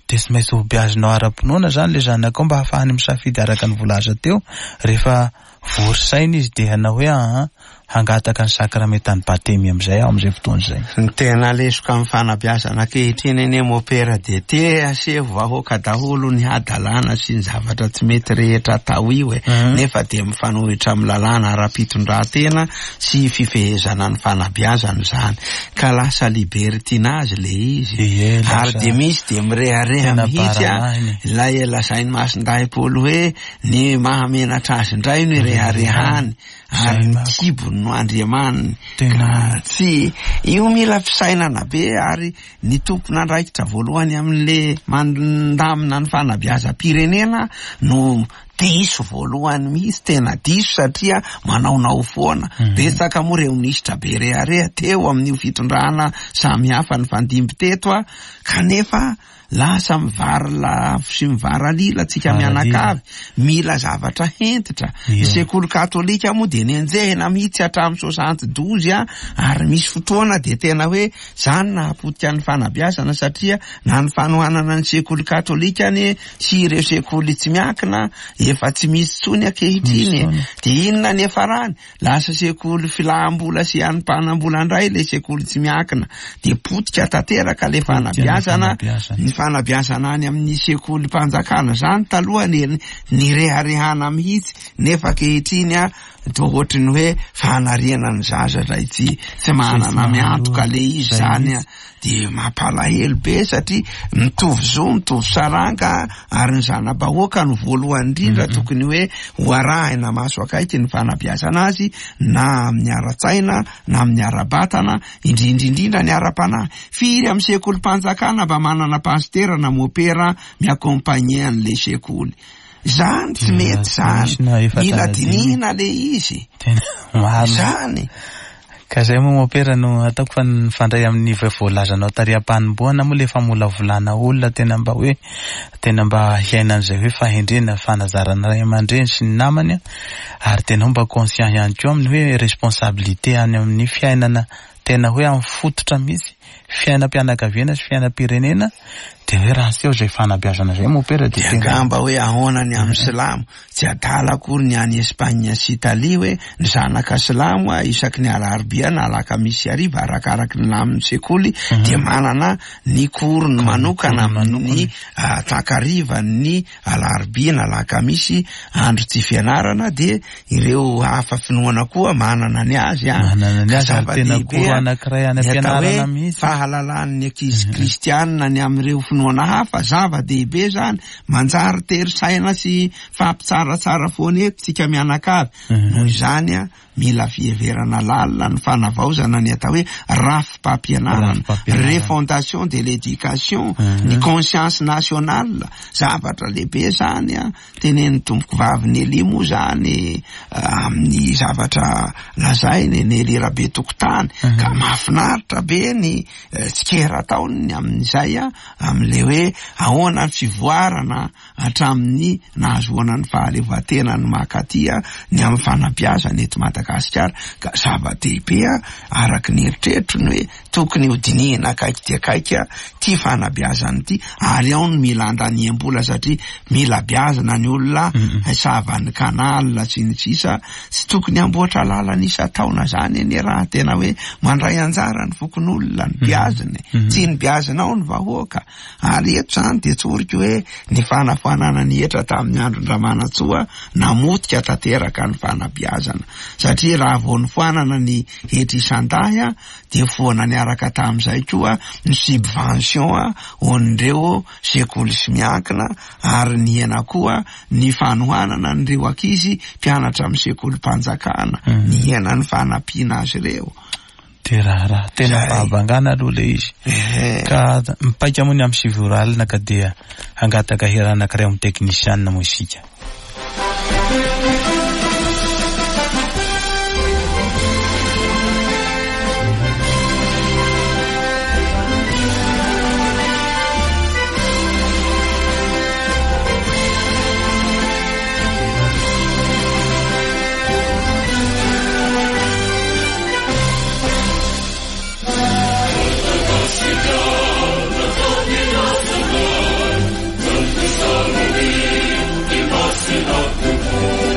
dia tsy maintsy hobeazinao ara-pinoana zany le zanakao mba hahafahany misafidy araka ny voalaza teo. Rehefa vory saina izy dia hanao hoe aha hangataka ny sakramentan'ny batemy amin'izay aho amin'izay fotoana izay. Ny tena lesoka amin'ny fanabeazana ankehitriny eny mopera dia te aseho vahoaka daholo ny hadalana sy ny zavatra tsy mety rehetra atao io e, nefa dia mifanohitra amin'ny lalàna ara-pitondran-tena sy fifehezana ny fanabeazana izany, ka lasa libertinage le izy. Ary dia misy dia mirehareha mihitsy a, ilay lazain'ny Masindahy Paoly hoe ny mahamenatra azy indray no ireharehany ary ny kibony no andriamaniny. Ka tsy io mila fisainana be, ary ny tompon'andraikitra voalohany amin'le mandamina ny fanabeazam-pirenena no diso voalohany mihitsy, tena diso satria manaonao foana. Betsaka moa ireo minisitra be rehareha teo amin'io fitondrana samihafa ny fandimby teto a, kanefa lasa mivaralafo sy mivaralila tsika mianakavy, mila zavatra hentitra. Ny sekoly katolika moa dia nenjehina mihitsy hatramin'ny soixante douze a, ary misy fotoana dia tena hoe zany nahapotika ny fanabeazana, satria na ny fanohanana ny sekoly katolika anie sy ireo sekoly tsy miankina efa tsy misy intsony ankehitriny. Dia inona ny farany? Lasa sekoly filam-bola sy an'ny-mpanam-bola indray le sekoly tsy miankina, dia potika tanteraka le fanabeazana. Ny fanabeazana any amin'ny sekoly mpanjakana zany taloha ny nireharehana mihitsy, nefa ankehitriny a toa ohatry ny hoe fanariana ny zaza izay tsy tsy manana miantoka le izy zany a, dia mampalahelo be satria mitovy zo, mitovy saranga, ary ny zana-bahoaka no voalohany indrindra tokony hoe ho arahina maso akaiky ny fanabeazana azy, na amin'ny ara-tsaina na amin'ny ara-batana, indrindra indrindra ny ara-panahy. Firy amin'ny sekolim-panjakana mba manana pastera na mopera miaccompagner an'le sekoly? Zany tsy mety zany, mila dinihina le izy zany. Ka zay moa mopera no ataoko fa nifandray amin'ny voalazanao tary am-panombohana moa le famolavolana olona tena mba hoe tena mba hiainan'izay hoe fahendrena, fanazarana ray aman-dreny sy ny namany, ary tena mba conscient ihany koa amin'ny hoe responsabilité any amin'ny fiainana tena hoe amin'ny fototra mihitsy, fiainam-pianakaviana sy fiainam-pirenena, dia hoe raha seho izay fanabeazana izay mopera dia tena angamba hoe ahoana ny amin'ny silamo. Tsy adala akory ny any Espagne sy Italie hoe ny zanaka silamo a isaky ny alarobia na alakamisy hariva arakaraky ny lamin'ny sekoly dia manana ny korony manokana amin'ny takarivan'ny alarobia na alakamisy andro tsy fianarana, dia ireo hafa finoana koa manana ny azy a. Manana ny azy, ary tena koro anankiray any am-pianarana mihitsy. Fahalalan'ny ankizy kristianina ny amin'ireo finoana hafa zava-dehibe zany, manjary tery saina sy fampitsaratsara foana eto tsika mianakavy. Noho izany a, mila fiheverana lalina ny fanavaozana ny atao hoe rafi-pampianarana, refondation de l'éducation, ny conscience nationale, zavatra lehibe zany a. Tenen'ny tompoko vavy Nelly moa zany amin'ny zavatra lazainy, Nelly Rabe tokotany, ka mahafinaritra be ny tsikera ataony amin'izay a, amin'le hoe ahoana ny fivoarana hatramin'ny nahazoana ny fahaleovantena ny makaty ny amin'ny fanabeazana eto Madagasikara. Ka zava-dehibe a, araka ny eritreritro ny hoe tokony ho dinihina akaiky dia akaiky ty fanabeazana ity, ary ao no mila andaniam-bola satria mila beazana ny olona, savan'ny kanal sy ny sisa. Tsy tokony hamboatra lalana isan-taona zany anie raha tena hoe mandray anjara ny fokonolona ny beazina, tsy ny beazina ao ny vahoaka. Ary eto zany dia tsoriko hoe ny fanafoanana ny hetra tamin'ny andron-dRamanantsoa namotika tanteraka ny fanabeazana, satria raha vao nofoanana ny hetra isan-dahy a, dia foana niaraka tamin'izay koa ny subvention a ho an'ireo sekoly sy miankina, ary nihena koa ny fanohanana an'ireo ankizy mpianatra amin'ny sekolim-panjakana, nihena ny fanampiana azy ireo. Dia raharaha tena fahabangana aloha le izy. Ka mipaika moa ny amin'ny sivy ora alina, ka dia hangataka hira anankiray amin'ny teknisianina moa isika. Thank you.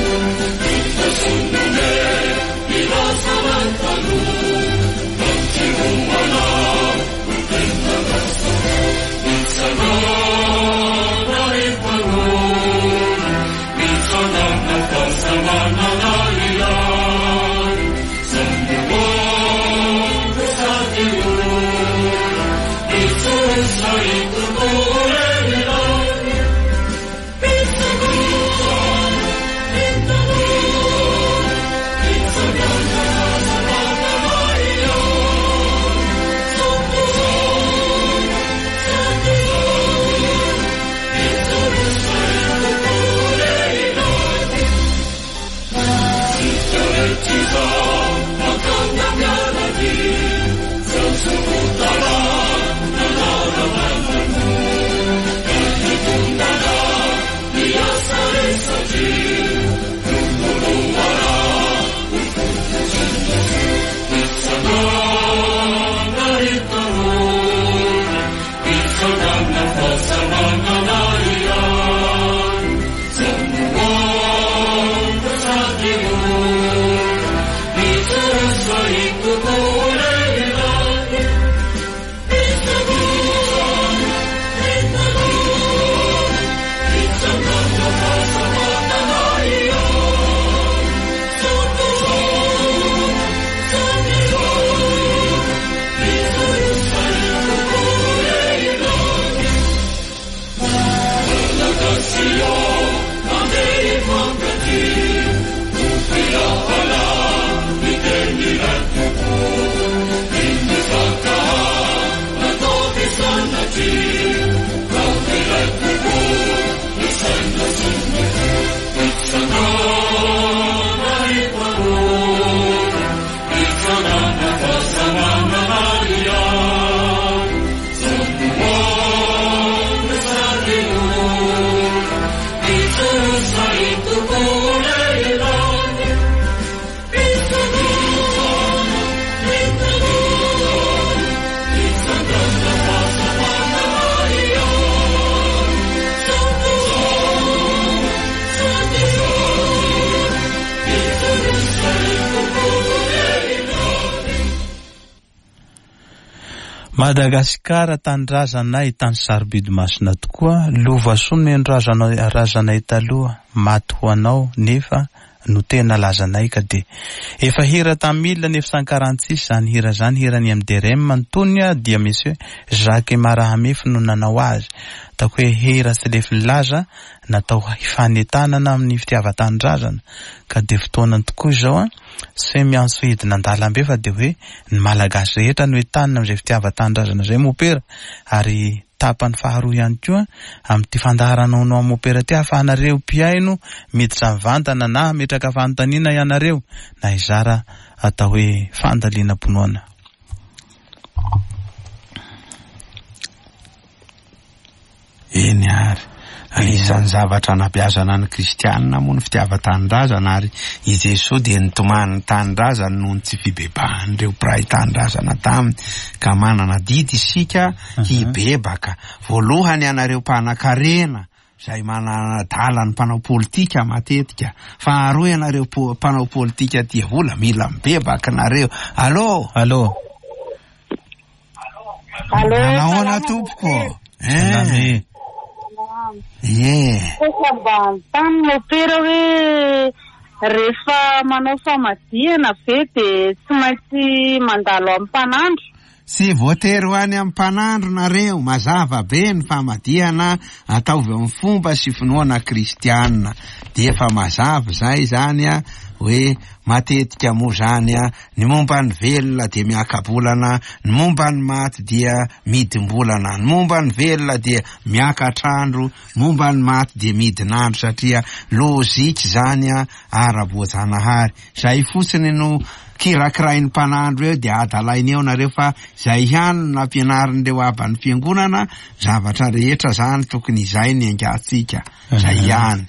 Madagasikara tanindrazanay, tany sarobidy masina tokoa, lova soa nomeny razanay taloha, maty ho anao nefa no tena lazanay. Ka dia efa hira tamin'ny mille neuf cent quarante-six zany hira zany, hirany M D R M ny tonony dia monsieur Jacques Marahamefy no nanao azy. Ataoko hoe hira tsy lefy laza, natao hifanetanana amin'ny fitiavan-tanindrazana. Ka dia fotoanany tokoa izao a, tsy hoe miantso hidina an-dalambe fa dia hoe ny Malagasy rehetra no entanina amin'izay fitiavan-tanindrazana izay mopera. Ary tapany faharoa ihany koa amin'ity fandaharanao no mopera ty, ahafahanareo mpihaino miditra mivantana na hametraka fanontaniana ianareo na hizara atao hoe fandalinam-pinoana. Eny ary, anisan'ny zavatra anabeazana ny kristianina moa ny fitiavan-tanindrazana, ary i Jesoa dia nitomany ny tanindrazany noho ny tsy fibebahan'ireo mpiray tanindrazana taminy. Ka manana didy isika hibebaka. Voalohany ianareo mpanan-karena izay manana dalany mpanao politika matetika, faharoa ianareo mpanao politika tia vola, mila mibebaka nareo. Allô? Allô? Allô? Nahoana tompoko? Eh. Ie. Kosa mba anontany mopera hoe rehefa manao famadihana ve dia tsy maintsy mandalo amin'ny mpanandro? Tsy voatery ho any amin'ny mpanandro nareo, mazava be ny famadihana ataovy amin'ny fomba sy finoana kristianina. Dia efa mazava izay zany a, hoe matetika moa zany a, ny momba ny velona dia miaka-bolana, ny momba ny maty dia midim-bolana, ny momba ny velona dia miakatr'andro, momba ny maty dia midin'andro, satria lozika zany a, ara-boajanahary. Zay fotsiny no kirakirain'ny mpanandro eo dia adalainy eo nareo, fa zay ihany no nampianarin'ireo havan'ny fiangonana. Zavatra rehetra zany tokony izay ny angatsika, zay ihany.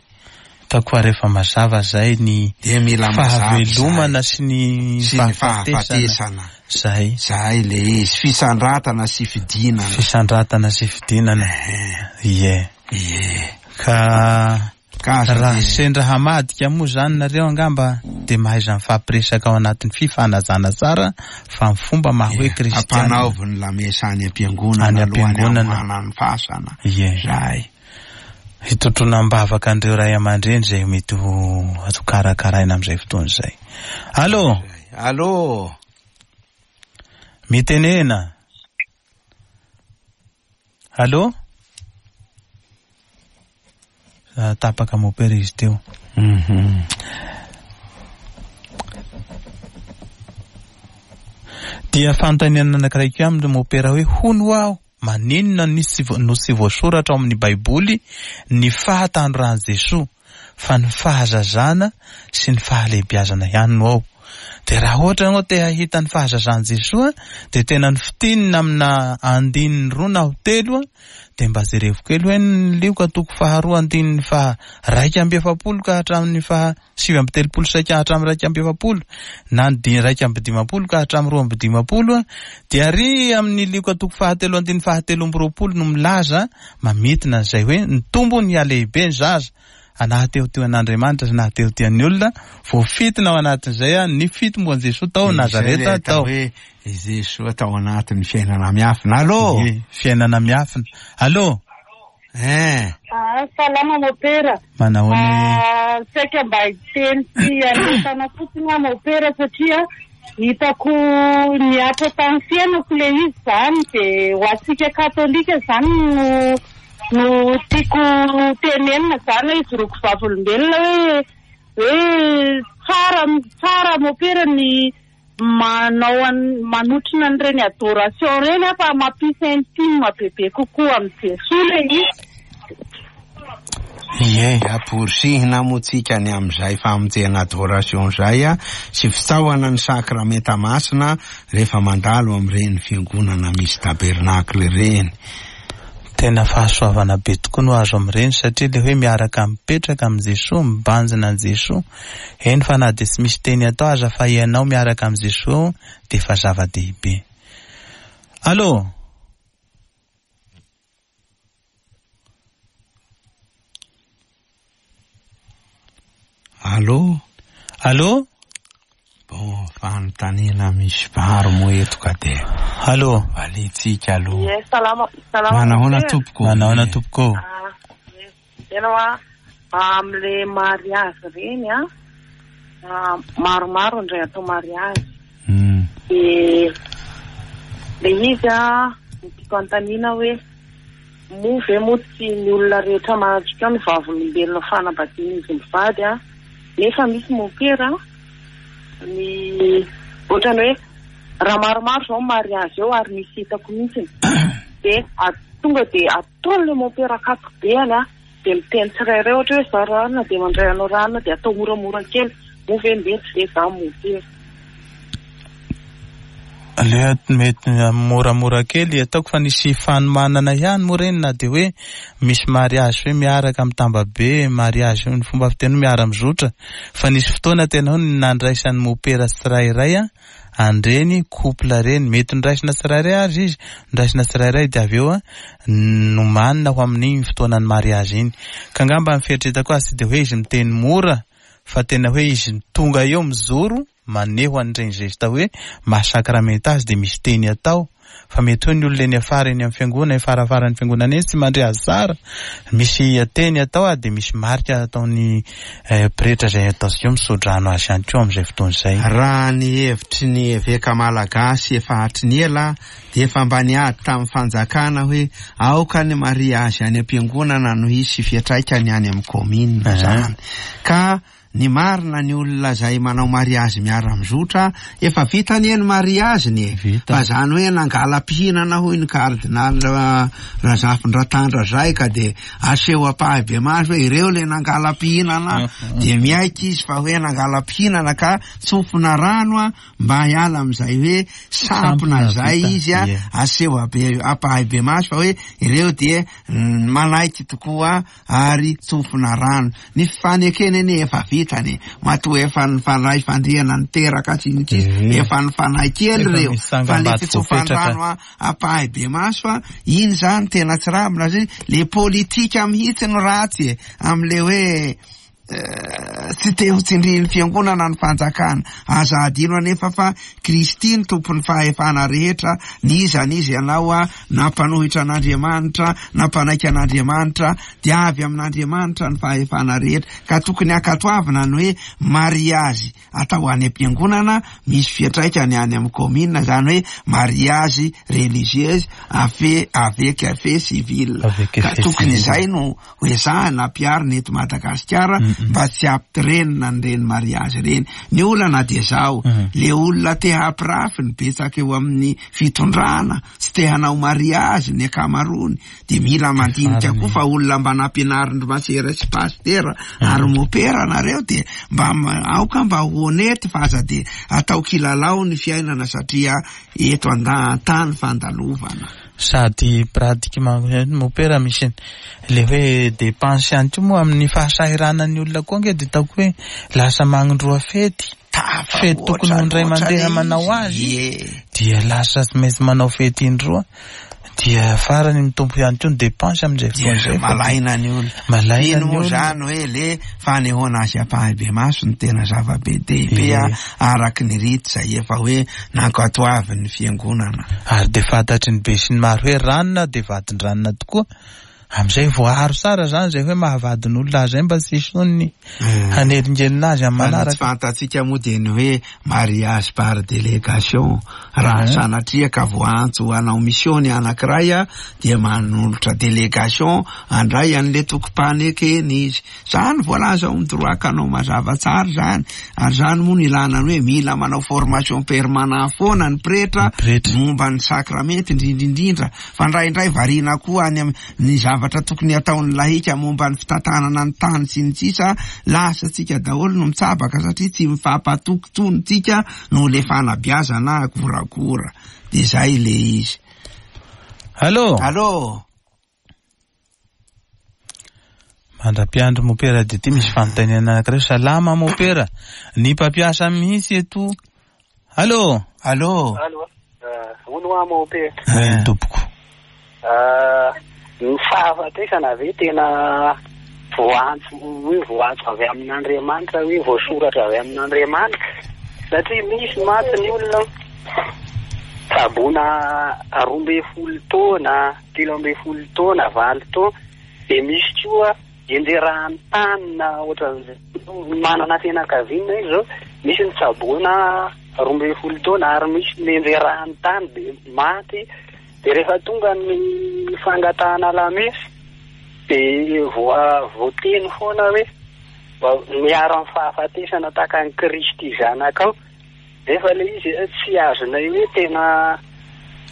Ataoko fa rehefa mazava zay ny fahavelomana sy ny fahafatesana, zay zay le izy, fisandratana sy fidinana, fisandratana sy fidinana. Ie, ie. Ka raha sendra hamadika moa zany nareo angamba dia mahaiza mifampiresaka ao anatin'ny fifanajana tsara, fa ny fomba maha hoe kristiana. Ampanaoviny lamesa any am-piangonana, any am-piangonana, any fasana. Ie, zay. Hitotrona am-bavaka an'ireo ray aman-dreny izay mety ho azo karakaraina amin'izay fotoana izay. Allô? Allô? Mitenena. Allô? Tapaka mopera izy teo. Mhm. Dia fanontaniana anankiray koa amin'ny mopera hoe hono aho maninona ny tsy vo-, no tsy voasoratra ao amin'ny Baiboly ny fahatanoran'i Jesoa fa ny fahazazana sy ny fahalehibiazana ihany no ao. Dia raha ohatra ianao te hahita ny fahazazan'i Jesoa dia tena ny fitinina amina andininy roa na telo dia mba jerevo kely hoe ny Lioka toko faharoa andininy faha raika amby efapolo ka hatramin'ny faha sivy amby telopolo saika hatramin'ny raika amby efapolo na ny di-, raika amby dimampolo ka hatramin'ny roa amby dimampolo dia ary amin'ny Lioka toko fahatelo andininy fahatelo amby roapolo no milaza mamintina an'izay hoe nitombo ny halehibe ny zaza anahateo an'Andriamanitra sy nahateo tian'ny olona voafitina ao anatin'izay a ny fitomboan'i Jesoa tao Izay Nazareta ilay atao tao. hoe Jesoa tao anatin'ny fiainana miafina. Allô? Ie, fiainana miafina. Allô? Eh. Ah, salama mopera. Manahoana? Ah, saika mba hiteny sy hanentana fotsiny aho mopera satria hitako niatra tamin'ny fiainako ilay izy zany dia ho antsika katolika zany no no tiako tenenina zany hoe izy roako vavolombelona hoe hoe tsara, tsara mopera ny manao an-, manotrona an'ireny adoration ireny a, fa mampisy intime bebe kokoa amin'i Jesoa ilay izy. Ie, amporisihina moa tsika ny amin'izay famonjena adoration izay a, sy fitsaohana ny sakramenta masina rehefa mandalo amin'ireny fiangonana misy tabernakle ireny. Tena fahasoavana be tokoa no azo amin'ireny satria ilay hoe miaraka mipetraka amin'i Jesoa, mibanjina an'i Jesoa. Eny fa na dia tsy misy teny atao aza fa ianao miaraka amin'i Jesoa dia efa zava-dehibe. Allô? Allô? Allô? Bon, fanontaniana misy maro moa eto ka dia. Allô? Valitsika aloha. Ie, salama, salama. Manahoana Mopera? tompoko? Manahoana tompoko? Ah, ie. Ianao a, amin'ilay mariazy ireny a, ah, maromaro indray atao mariazy. Mm. Dia ilay izy a, ny tiako anontaniana hoe moa ve moa tsy ny olona rehetra manatrika ao ny vavolombelona fanambadian'izy mivady a, nefa misy mopera ny ohatrany hoe raha maromaro izao mariazy eo ary misy hitako mihitsy dia a-, tonga dia ataon'ilay mopera ankapobeny a, dia miteny tsirairay ohatra hoe za ranona dia mandray anao ranona dia atao moramora kely, moa ve mety ve za mopera? Aleo mety moramora kely ataoko fa nisy fanomanana ihany moa ireny na dia hoe misy mariazy hoe miaraka mitambabe mariazy ny fomba fiteny hoe miara-mizotra fa nisy fotoana tena hoe nandraisan'ny mopera tsirairay a andreny couple ireny mety ndraisina tsirairay azy izy ndraisina tsirairay dia avy eo a nomanina ho amin'iny fotoanan'ny mariazy iny ka angamba ny fieritreretako azy tsy dia hoe izy miteny mora fa tena hoe izy tonga eo mijoro maneho an'ireny geste hoe mahasakramenta azy dia misy teny atao fa mety hoe ny olona eny afara eny amin'ny fiangonana, eny farafaran'ny fiangonana eny tsy mandre azy tsara misy teny atao a dia misy marika ataon'ny, eh, pretra izay atao sy eo misodrano azy ihany koa amin'izay fotoana izay. Raha ny hevitry ny eveka malagasy efa hatry ny ela dia efa mba niady tamin'ny fanjakana hoe aoka ny mariazy any am-piangonana no hisy fiantraikany any amin'ny kaominina Aha. zany. Ka ny marina ny olona izay manao mariazy miara-mizotra efa vita anie ny mariaziny e. Vita. Fa zany hoe nangala-pihinana hoy ny kardinaly Razafindratandra zay ka dia aseho ampahibemaso hoe ireo le nangala-pihinana Mhm. dia miaiky izy fa hoe nangala-pihinana ka tsofina rano a mba hiala amin'izay hoe sampona Sampona zay vita. izy a, Ie. aseho abe-, ampahibemaso fa hoe ireo dia manaiky tokoa ary tsofina rano. Ny fanekena anie efa vitany matoa efa nifandray fandriana niteraka sy ny sisa, Ie. efa nifanaiky kely Efa ireo. misy Fa le sangam-bato fitsofan-drano voapetraka. a, ampahibemaso a, iny zany tena tsy rambina satria le politika mihitsy no ratsy e, am'le hoe Tsy te ho tsindrin'ny fiangonana ny fanjakana. Aza adino anefa fa Kristy ny tompon'ny fahefana rehetra, n'iza n'iza ianao a, na mpanohitra an'Andriamanitra, na mpanaiky an'Andriamanitra, dia avy amin'Andriamanitra ny fahefana rehetra, ka tokony hankatoavina ny hoe mariazy atao any am-piangonana misy fiantraikany any amin'ny commune, zany hoe mariage religieuse avec avec effet civil. Ka tokony izay no ho ezahana ampiharina eto Madagasikara mba tsy hampirenina an'ireny mariage ireny. Ny olana dia zao, le olona te hampirafy ny betsaka eo amin'ny fitondrana, tsy te hanao mariage ny ankamaroany, dia mila mandinika koa fa olona mba nampianarin-dry masera sy pastera ary mopera nareo, dia mba aoka mba ho honnête fa aza dia atao kilalao ny fiainana satria eto an-tany fandalovana. Sady pratique mopera misy le hoe dépense ihany koa moa amin'ny fahasahiranan'ny olona koa ange dia ataoko hoe lasa magnindroa fety. Fety tokony ho indray mandeha manao azy dia lasa tsy maintsy manao fety indroa, dia farany mitombo ihany koa ny dépense amin'izay fotoana izay. Malaina ny olona. Malaina ny olona. Zany hoe le fanehoana azy ampahibemaso ny tena zava-dehibe araky ny rity izay efa hoe nankatoavin'ny fiangonana. Ary dia fantatry ny be sy ny maro hoe ranona dia vadin-dranona tokoa. Amin'izay voaaro tsara zany izay hoe mahavadin'olona azy mba tsy hisy ny hanelingelina azy amin'ny manaraka. Tsy fantatsika moa dia ny hoe mariage par délégation. Raha sanatria ka voaantso hanao mission ny anankiray a, dia manolotra délégation andray an'le tokom-panekena izy. Zany voalaza ao amin'ny droit canon mazava tsara zany. Ary zany moa no ilana ny hoe mila manao formation permanent foana ny pretra momba ny sakramenta indrindra indrindra. Fa indraindray variana koa any amin'ny zavatra tokony ataon'ny lahika momba ny fitantanana ny tany sy ny sisa, lasa tsika daholo no mitsabaka satria tsy mifampatoky tony tsika no le fanabeazana goragora. Dia zay le izy. Allô? Allô? Mandra-piandry mopera dia ty misy fanontaniana anankiray. Salama mopera, ny mpampiasa mihitsy eto. Allô? Allô? Allô? Hono aho mopera. Eh, tompoko. Ny fahafatesana ve tena voantso hoe voantso avy amin'Andriamanitra, hoe voasoratra avy amin'Andriamanitra? Satria misy mantsy ny olona tsaboina roa ambin'ny folo taona, telo ambin'ny folo taona, valo taona, dia misy koa enjerahany tany na ohatran'izay. Manana fianakaviana izy zao, misy ny tsaboina roa ambin'ny folo taona ary misy ny enjerahany tany dia maty. Dia rehefa tonga ny fangatahana lamesy dia voa voateny foana hoe miara amin'ny fahafatesana tahaka an'i Kristy zanakao. Nefa le izy tsy azonay hoe tena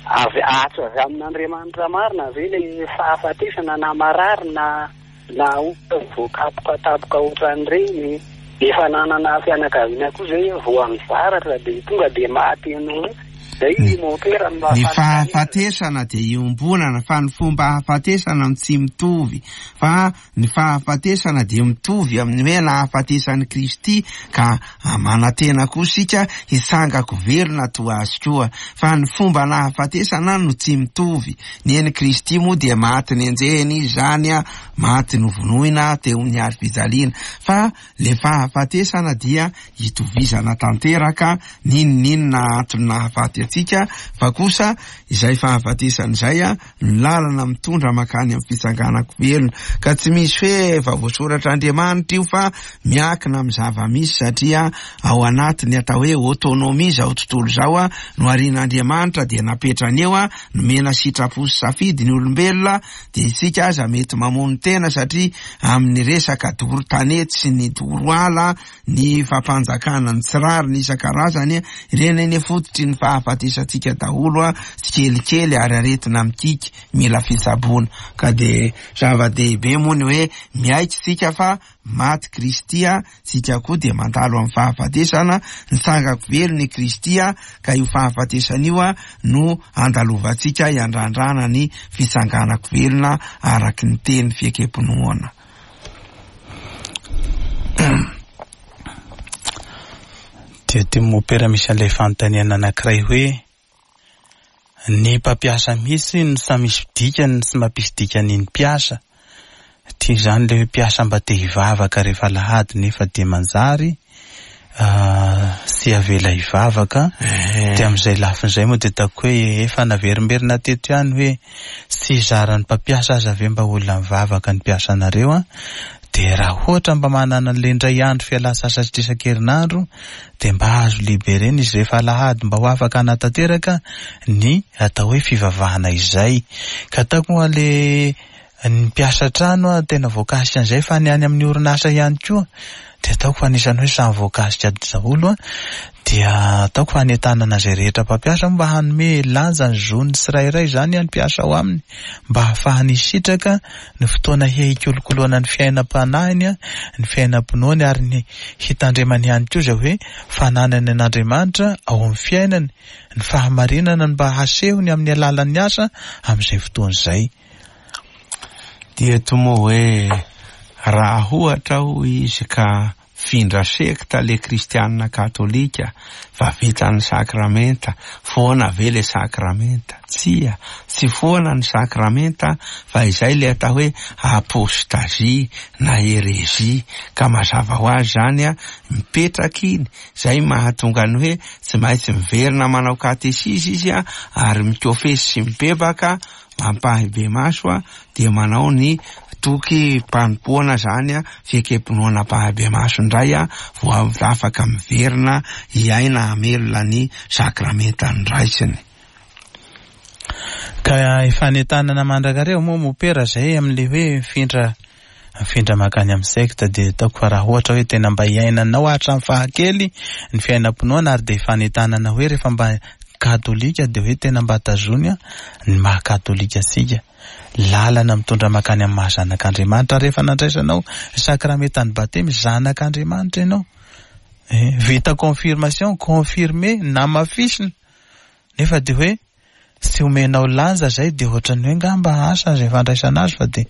avy atso avy amin'Andriamanitra marina ve le fahafatesana na marary na na voakapoka tapoka ohatran'ireny. Efa nanana fianakaviana koa zay voa amin'ny varatra dia tonga dia maty eny. Ny fahafatesana dia iombonana, fa ny fomba hahafatesana no tsy mitovy. Fa ny fahafatesana dia mitovy amin'ny hoe nahafatesan'i Kristy, ka manantena koa isika hitsangako velona toa azy koa. Fa ny fomba nahafatesana no tsy mitovy. Ny an'i Kristy moa dia maty nenjehina izy zany a, maty novonoina teo amin'ny hazo fijaliana. Fa le fahafatesana dia hitovizana tanteraka n'inon'inona antony nahafaty antsika, fa kosa izay fahafatesana izay a ny lalana mitondra makany amin'ny fitsanganako velona. Ka tsy misy hoe efa voasoratra Andriamanitra io fa miankina amin'ny zava-misy, satria ao anatiny atao hoe autonomie izao tontolo izao a no arian'Andriamanitra dia napetrany eo a, nomena sitrapo sy safidy ny olombelona, dia isika aza mety mamono tena satria amin'ny resaka doro tanety sy ny doro ala, ny fampanjakana ny tsirary ny isan-karazany, ireny eny fototry ny fahafatesantsika daholo a, tsikelikely ary aretina mikiky mila fitsaboana. Ka dia zava-dehibe moa ny hoe miaiky tsika fa maty Kristy a, tsika koa dia mandalo amin'ny fahafatesana, nitsangako velona i Kristy a, ka io fahafatesana io a no andalovantsika hiandrandrana ny fitsanganako velona araky ny teny fiekempinoana. Dia ty mopera misy an'ilay fanontaniana anankiray hoe ny mpampiasa mihitsy no samy misy dikany sy mampisy dikany ny mpiasa. Ty zany le hoe mpiasa mba te hivavaka rehefa alahady nefa dia manjary sy avela hivavaka. Dia amin'izay lafin'izay moa dia ataoko hoe efa naverimberina teto ihany hoe tsy zaran'ny mpampiasa aza ve mba olona mivavaka ny mpiasanareo a. Dia raha ohatra mba manana an'ilay indray andro fialan-tsasatra isan-kerinandro dia mba azo liberena izy rehefa alahady mba ho afaka hanatanteraka ny atao hoe fivavahana izay. Ka ataoko moa le ny mpiasa trano a tena voakasika an'izay, fa ny any amin'ny orinasa ihany koa dia ataoko fa anisan'ny hoe samy voakasika daholo a. Dia ataoko fa anentanana izay rehetra mpampiasa mba hanome lanja ny zon'ny tsirairay izany ny mpiasa ao aminy mba hahafahany hisitraka ny fotoana hikolokoloana ny fiainam-panahiny a, ny fiainam-pinoany ary ny hitandremany ihany koa izay hoe fananany an'Andriamanitra ao amin'ny fiainany, ny fahamarinana mba hasehony amin'ny alalan'ny asa amin'izay fotoana izay. Dia eto moa hoe raha ohatra ho izy ka findra sekta le kristianina katolika fa vita ny sakramenta, foana ve le sakramenta? Tsia, tsy foana ny sakramenta fa izay le atao hoe apostasie na hérésie, ka mazava ho azy zany a mipetraka iny, zay mahatonga ny hoe tsy maintsy miverina manao katesizy izy a ary mikofesy sy mibebaka ampahibemaso a dia manao ny toky mpanompoana zany a fiekempinoana ampahibemaso indray a vao afaka miverina hiaina hamelona ny sakramenta noraisiny. Ka ifanentanana mandrakareo moa mopera zay amin'le hoe mifindra mifindra mankany amin'ny sekta, dia ataoko fa raha ohatra hoe tena mba hiainanao hatramin'ny fahakely ny fiainam-pinoana ary dia ifanentanana hoe rehefa mba katolika dia hoe tena mba tazony a ny maha katolika antsika, lalana mitondra mankany amin'ny maha zanak'Andriamanitra. Rehefa nandraisanao sakramentan'ny batemy, zanak'Andriamanitra ianao, vita confirmation, confirmé, namafisina, nefa dia hoe tsy omenao lanja zay dia ohatran'ny hoe ngamba asa izay fandraisana azy, fa dia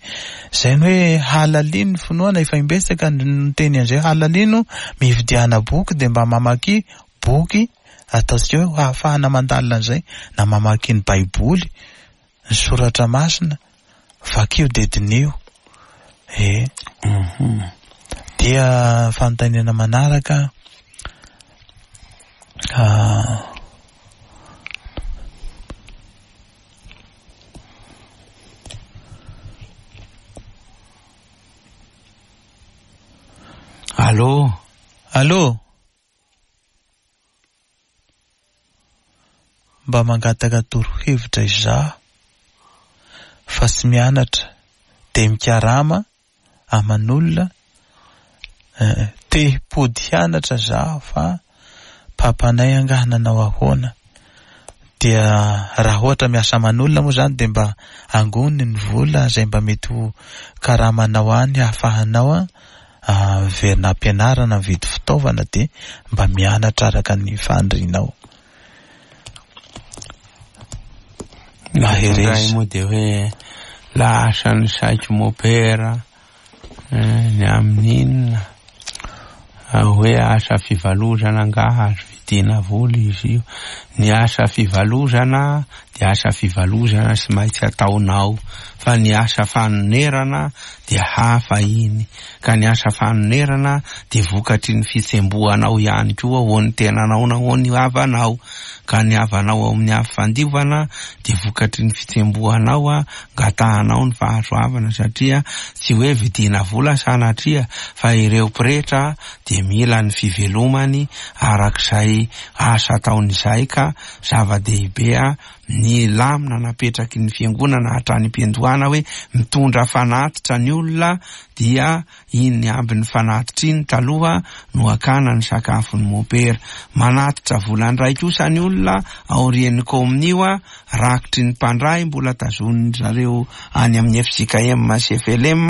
zay ny hoe halalino ny finoana. Efa imbetsaka ny teny an'izay, halalino, mividiana boky dia mba mamaky boky ataontsika hoe hahafahana mandalina an'izay, na mamaky ny Baiboly, ny soratra masina, vakio dia diniho. E dia fanontaniana manaraka, Allô? Allô? Mba mangataka torohevitra izaho fa tsy mianatra dia mikarama aman'olona, te hipody hianatra zaho fa papanay angaha nanao ahoana. Dia raha ohatra miasa aman'olona moa zany dia mba angony ny vola izay mba mety ho karamanao any hahafahanao a miverina ampianarana, mividy fitaovana dia mba mianatra araka ny fanirianao. Mahereza moa dia hoe lasa ny saiko mopera ny amin'inona hoe asa fivalozana angaha azo vidiana vola izy io. Ny asa fivalozana dia asa fivalozana sy maintsy ataonao, fa ny asa fanonerana dia hafa iny. Ka ny asa fanonerana dia vokatry ny fitsembohanao ihany koa ho an'ny tenanao na ho an'ny havanao. Ka ny havanao ao amin'ny afo fandiovana dia vokatry ny fitsembohanao a ngatahanao ny fahasoavana, satria tsy hoe vidiana vola sanatria, fa ireo pretra dia mila ny fivelomany arak'izay asa ataon'izay. Ka zava-dehibe a ny lamina napetraky ny fiangonana hatrany am-piandohana hoe mitondra fanatitra ny olona, dia iny ambin'ny fanatitra iny taloha no akana ny sakafon'ny mopera. Manatitra vola indray kosa ny olona aorian'ny kominio a rakitry ny mpandray mbola tazonin zareo any amin'ny F C K M sy F L M,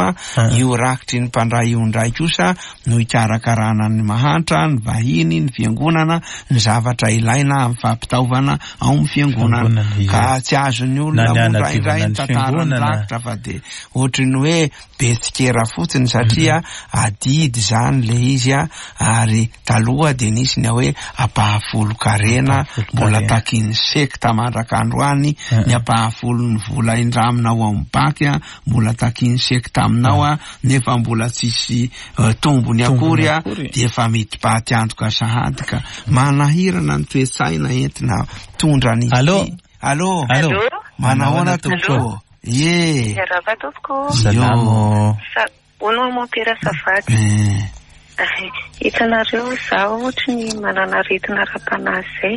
io rakitry ny mpandray io indray kosa no hikarakarana ny mahantra, ny vahiny, ny fiangonana ny zavatra ilaina amin'ny fampitaovana ao amin'ny fiangonana. Ka tsy azon'ny olona Na ny moa indraindray hanadiovana ny ny tantaran'ny fiangonana. rakitra fa de ohatry ny hoe betsikera fotsiny satria adidy zany le izy a, ary taloha de nisy ny hoe ampahafolon-karena mbola takin'ny sekta mandrak'androany, ny ampahafolon'ny vola indramina ao amin'ny banky a mbola takin'ny sekta aminao a, nefa mbola tsisy eh, tombony akory a, de efa midi-paty antoka sahady ka manahirana ny toe-tsaina entina tondra ny Allô? Allô? Allô? Manahoana tompoko? Ye. Miarahaba tompoko. Salamo. Sa- Hono mompera Safady. Hitanareo zaho ohatry ny manana aretina ara-panahy izay.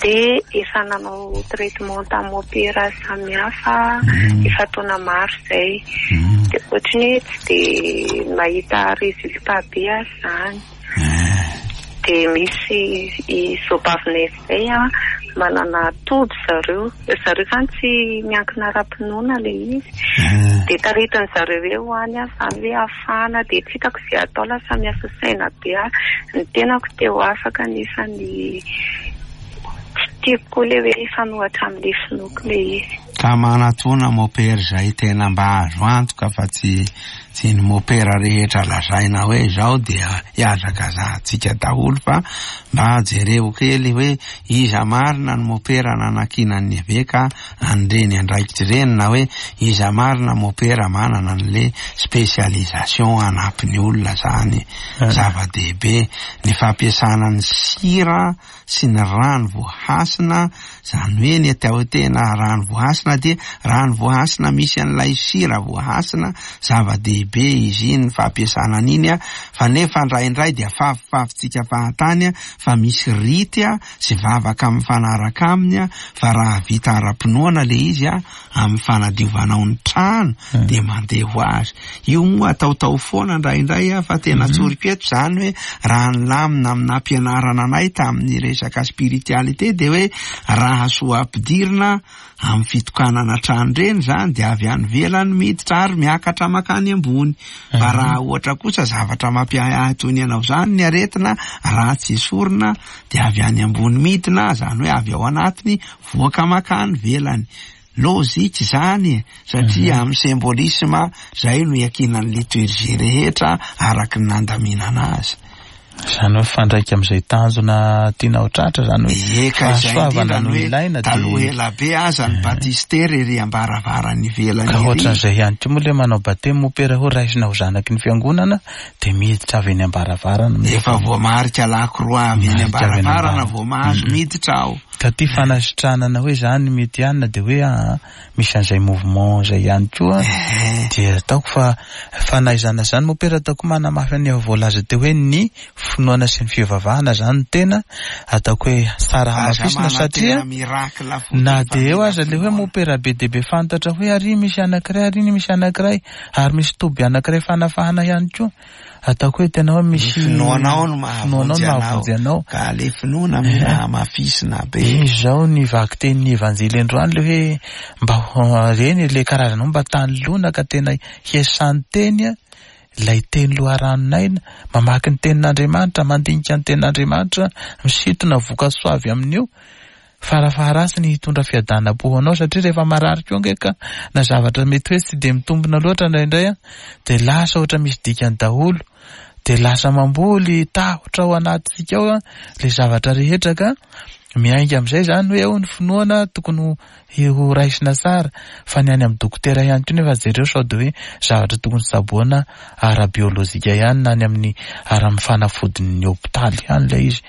Dia efa nanao traitement tamin'ny mompera samihafa efa taona maro izay. Dia ohatry ny hoe tsy dia mahita résultat be aho izany. Dia misy izobavinay izay a manana toby zareo. Zareo izany tsy miankina ara-pinoana ilay izy. Dia taritin'ny zareo eo any aho izany hoe hafana dia tsy hitako izay atao, lasa miasa saina be aho. Ny tenako te ho afaka nefa ny tsy tiako koa ilay hoe hifanohitra amin'ilay finoako ilay izy. Ka manatona mopera izay tena mba azo antoka fa tsy tsy ny mopera rehetra lazaina hoe izao dia hiazakazahantsika daholo, fa mba jereo kely hoe iza marina ny mopera nanakinan'ny eveka an'ireny andraikitra ireny, na hoe iza marina mopera manana an'le spécialisation hanampy ny olona zany. Zava-dehibe ny fampiasana ny sira sy ny rano voahasina, zany hoe ny atao tena rano voahasina dia rano voahasina misy an'ilay sira voahasina, zava-dehibe izy iny ny fampiasana an'iny a, fa nefa indraindray dia fafifafintsika fahatany a, fa misy rity a sy vavaka mifanaraka aminy a, fa raha vita ara-pinoana le izy a amin'ny fanadiovanao ny trano dia mandeha ho azy. Io moa ataotao foana indraindray a, fa tena tsoriko eto zany hoe raha ny lamina amin'ny nampianarana anay tamin'ny resaka spiritualité dia hoe raha soa ampidirina amin'ny fitokanana trano reny zany dia avy any ivelany miditra ary miakatra makany ambony. Fa raha ohatra kosa zavatra mampiahiahy toy ny anao zany ny aretina, raha tsy esorina dia avy any ambony midina, zany hoe avy ao anatiny voaka makany ivelany. Lozika zany e, satria amin'ny symbolisme zay no iankinan'ny liturgie rehetra araky ny nandaminana azy. Zany hoe mifandraika amin'izay tanjona tiana ho tratra zany hoe Eka, izay fahasoavana indrindra no ny hoe ilaina taloha dia ela be aza ny baptistère ery ambaravaran'ny ivelany ka ery. ohatran'izay ihany koa moa le manao batemy mopera ho raisina ho zanaky ny fiangonana dia miditra avy eny ambaravarana. Efa voamarika lakroa avy eny Marika avy eny ambaravarana ambara. vao mahazo miditra ao. Ka ty fanasitranana hoe zany mety ihany na dia hoe ah, misy an'izay mouvement izay ihany koa dia ataoko fa fanaizana zany mopera ataoko manamafy ny efa voalaza teo hoe ny finoana sy ny fivavahana zany no tena ataoko hoe tsara Aza hamafisina manantena satria miracle fotsiny na fa dia eo mila aza le hoe mopera be dia be fantatra hoe ary misy anankiray ary misy anankiray ary misy toby anankiray fanafahana ihany koa, ataoko hoe tena hoe misy finoanao no finoanao mahavonjy no mahavonjy anao. anao. Ka le finoana mila hamafisina be. Izy zao ny vakitenin'ny evanjely androany le hoe mba ho- reny le karazana mba tany lonaka tena hiasan'ny teny a, ilay teny loharanon'aina, mamaky ny tenin'Andriamanitra, mandinika ny tenin'Andriamanitra, misintona voka-soa avy amin'io. Farafaharatsiny hitondra fiadanam-po ho anao satria rehefa marary koa ange ka na zavatra mety hoe tsy dia mitombina loatra indraindray a, dia lasa ohatra misy dikany daholo, dia lasa mamboly tahotra ao anatintsika ao a le zavatra rehetra ka miainga amin'izay zany hoe eo ny finoana tokony ho ho raisina tsara, fa ny any amin'ny dokotera ihany koa nefa jereo sao dia hoe zavatra tokony tsaboana ara-biolojika ihany na any amin'ny ara amin'ny fanafodin'ny hopitaly ihany ilay izy.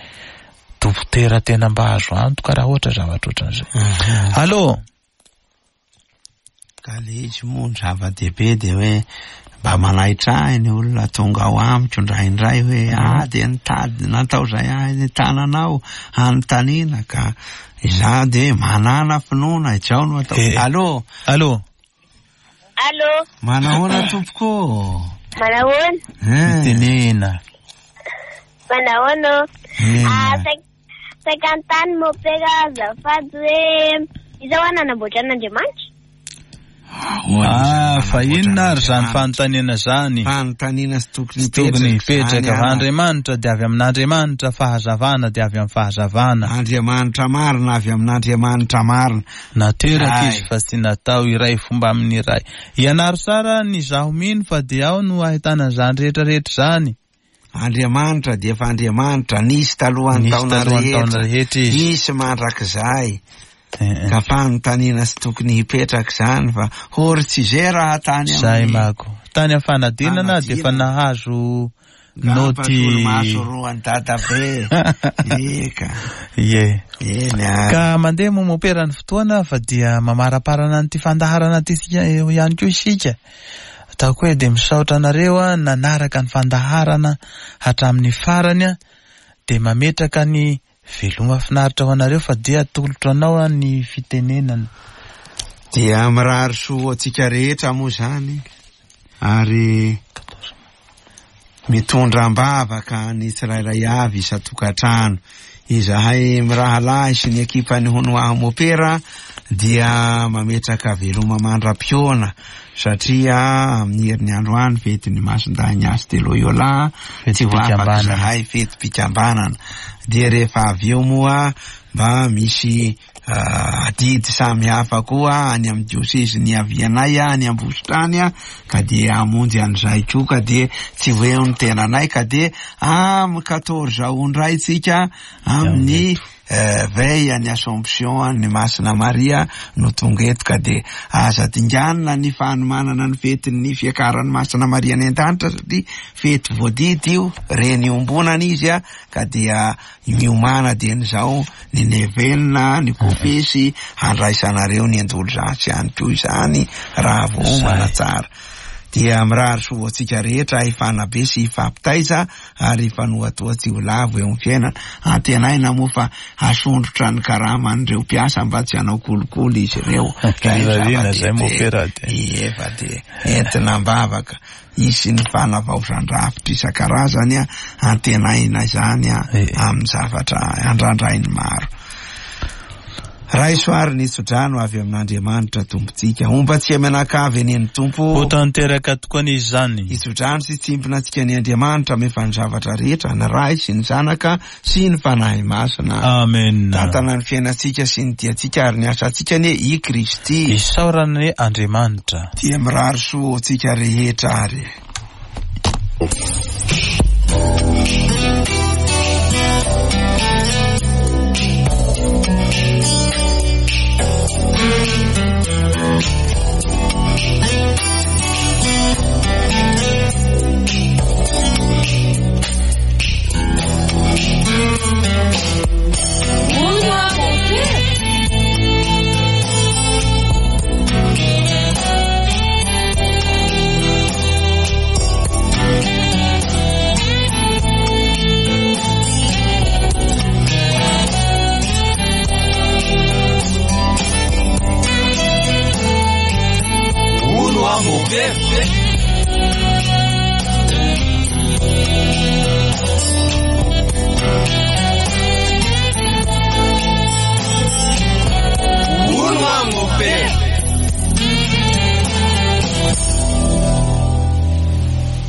Dokotera tena mba azo antoka raha ohatra zavatra ohatran'izay. Allô? Ka le izy moa ny zava-dehibe dia hoe mba manaitra ahy ny olona tonga ao amiko indraindray hoe ah dia nitady natao izay ahy ny tananao hanontaniana ka izaho dia hoe manana finoana izao no atao. Eh. Allô? Allô? Allô, Manahoana tompoko? manahoana? Eh. Tenena. Manahoana? Eh. Ah, saik- saika anontany mopera azafady hoe iza ho nanamboatra an'Andriamanitra? Ah, fa inona ary zany fanontaniana zany? Fanontaniana tsy tokony tokony hipetraka fa Andriamanitra dia avy amin'Andriamanitra, fahazavana dia avy amin'ny fahazavana. Andriamanitra marina avy amin'Andriamanitra marina. Nateraka izy fa tsy natao iray fomba amin'ny iray. Ianaro tsara ny zaho mino fa dia ao no ahitana izany rehetra rehetra zany. Andriamanitra dia efa Andriamanitra, nisy talohan'ny taona rehetra izy, nisy mandrakizay. Ka fanontaniana tsy tokony hipetraka izany fa hory tsy zay raha tany amin'ny zay mako tany amin'ny fanadinana dia efa nahazo noty maso roa ny dadabe. Eka ie eny ary. Ka mandeha moa mopera ny fotoana fa dia mamaraparana an'ity fandaharana ity isika ihany koa isika. Ataoko hoe dia misaotra anareo a nanaraka ny fandaharana hatramin'ny farany a, dia mametraka ny veloma finaritra ho anareo fa dia atolotra anao ny fitenenana. Dia mirary soa antsika rehetra moa zany ary mitondra am-bavaka ny tsirairay avy isan-tokantrano. Izahay mirahalahy sy ny ekipany hono aho mopera dia mametraka veloma mandra-piona satria amin'ny herin'ny androany fetin'ny Masindahy Ignace de Loyola, tsy ho afaka izahay fetim-pikambanana. Dia rehefa avy eo moa mba misy adidy samy hafa koa any amin'ny diosesy niavianay any Ambositra any, ka dia hamonjy an'izay koa, ka dia tsy ho eo ny tenanay, ka dia amin'ny quatorze indray tsika amin'ny veille ny Assomption ny Masina Maria no tonga eto, ka dia aza dinganina ny fanomanana ny fetin'ny fiakaran'ny Masina Maria any an-danitra satria fety voadidy io, reny iombonana izy a, ka dia miomana dieny izao ny nevenina ny kofesy handraisanareo ny indulgence ihany koa izany raha voaomana tsara. Dia mirary soa antsika rehetra hifanabe sy hifampitaiza ary hifanohatoha tsy ho lavo eo amin'ny fiainana. Antenaina moa fa hasondrotra ny karaman'ireo mpiasa mba tsy hanao kolikoly izy ireo. Efa dia entina am-bavaka hisy ny fanavaozan-drafitra isan-karazany a, antenaina izany a amin'ny zavatra andrandrainy maro. Raiso ary ny tsodrano avy amin'Andriamanitra Tompontsika. Homba tsy mianakavy eny ny Tompo. Ho tanteraka tokoa ny izany. Hitsodrano sy tsimpona antsika ny Andriamanitra mefa ny zavatra rehetra, ny Ray sy ny Zanaka sy ny Fanahy Masina. Amen. Tantana ny fiainantsika sy ny diantsika ary ny asantsika anie i Kristy. Isaorana ny Andriamanitra. Dia mirary soa antsika rehetra ary. Uno a mover.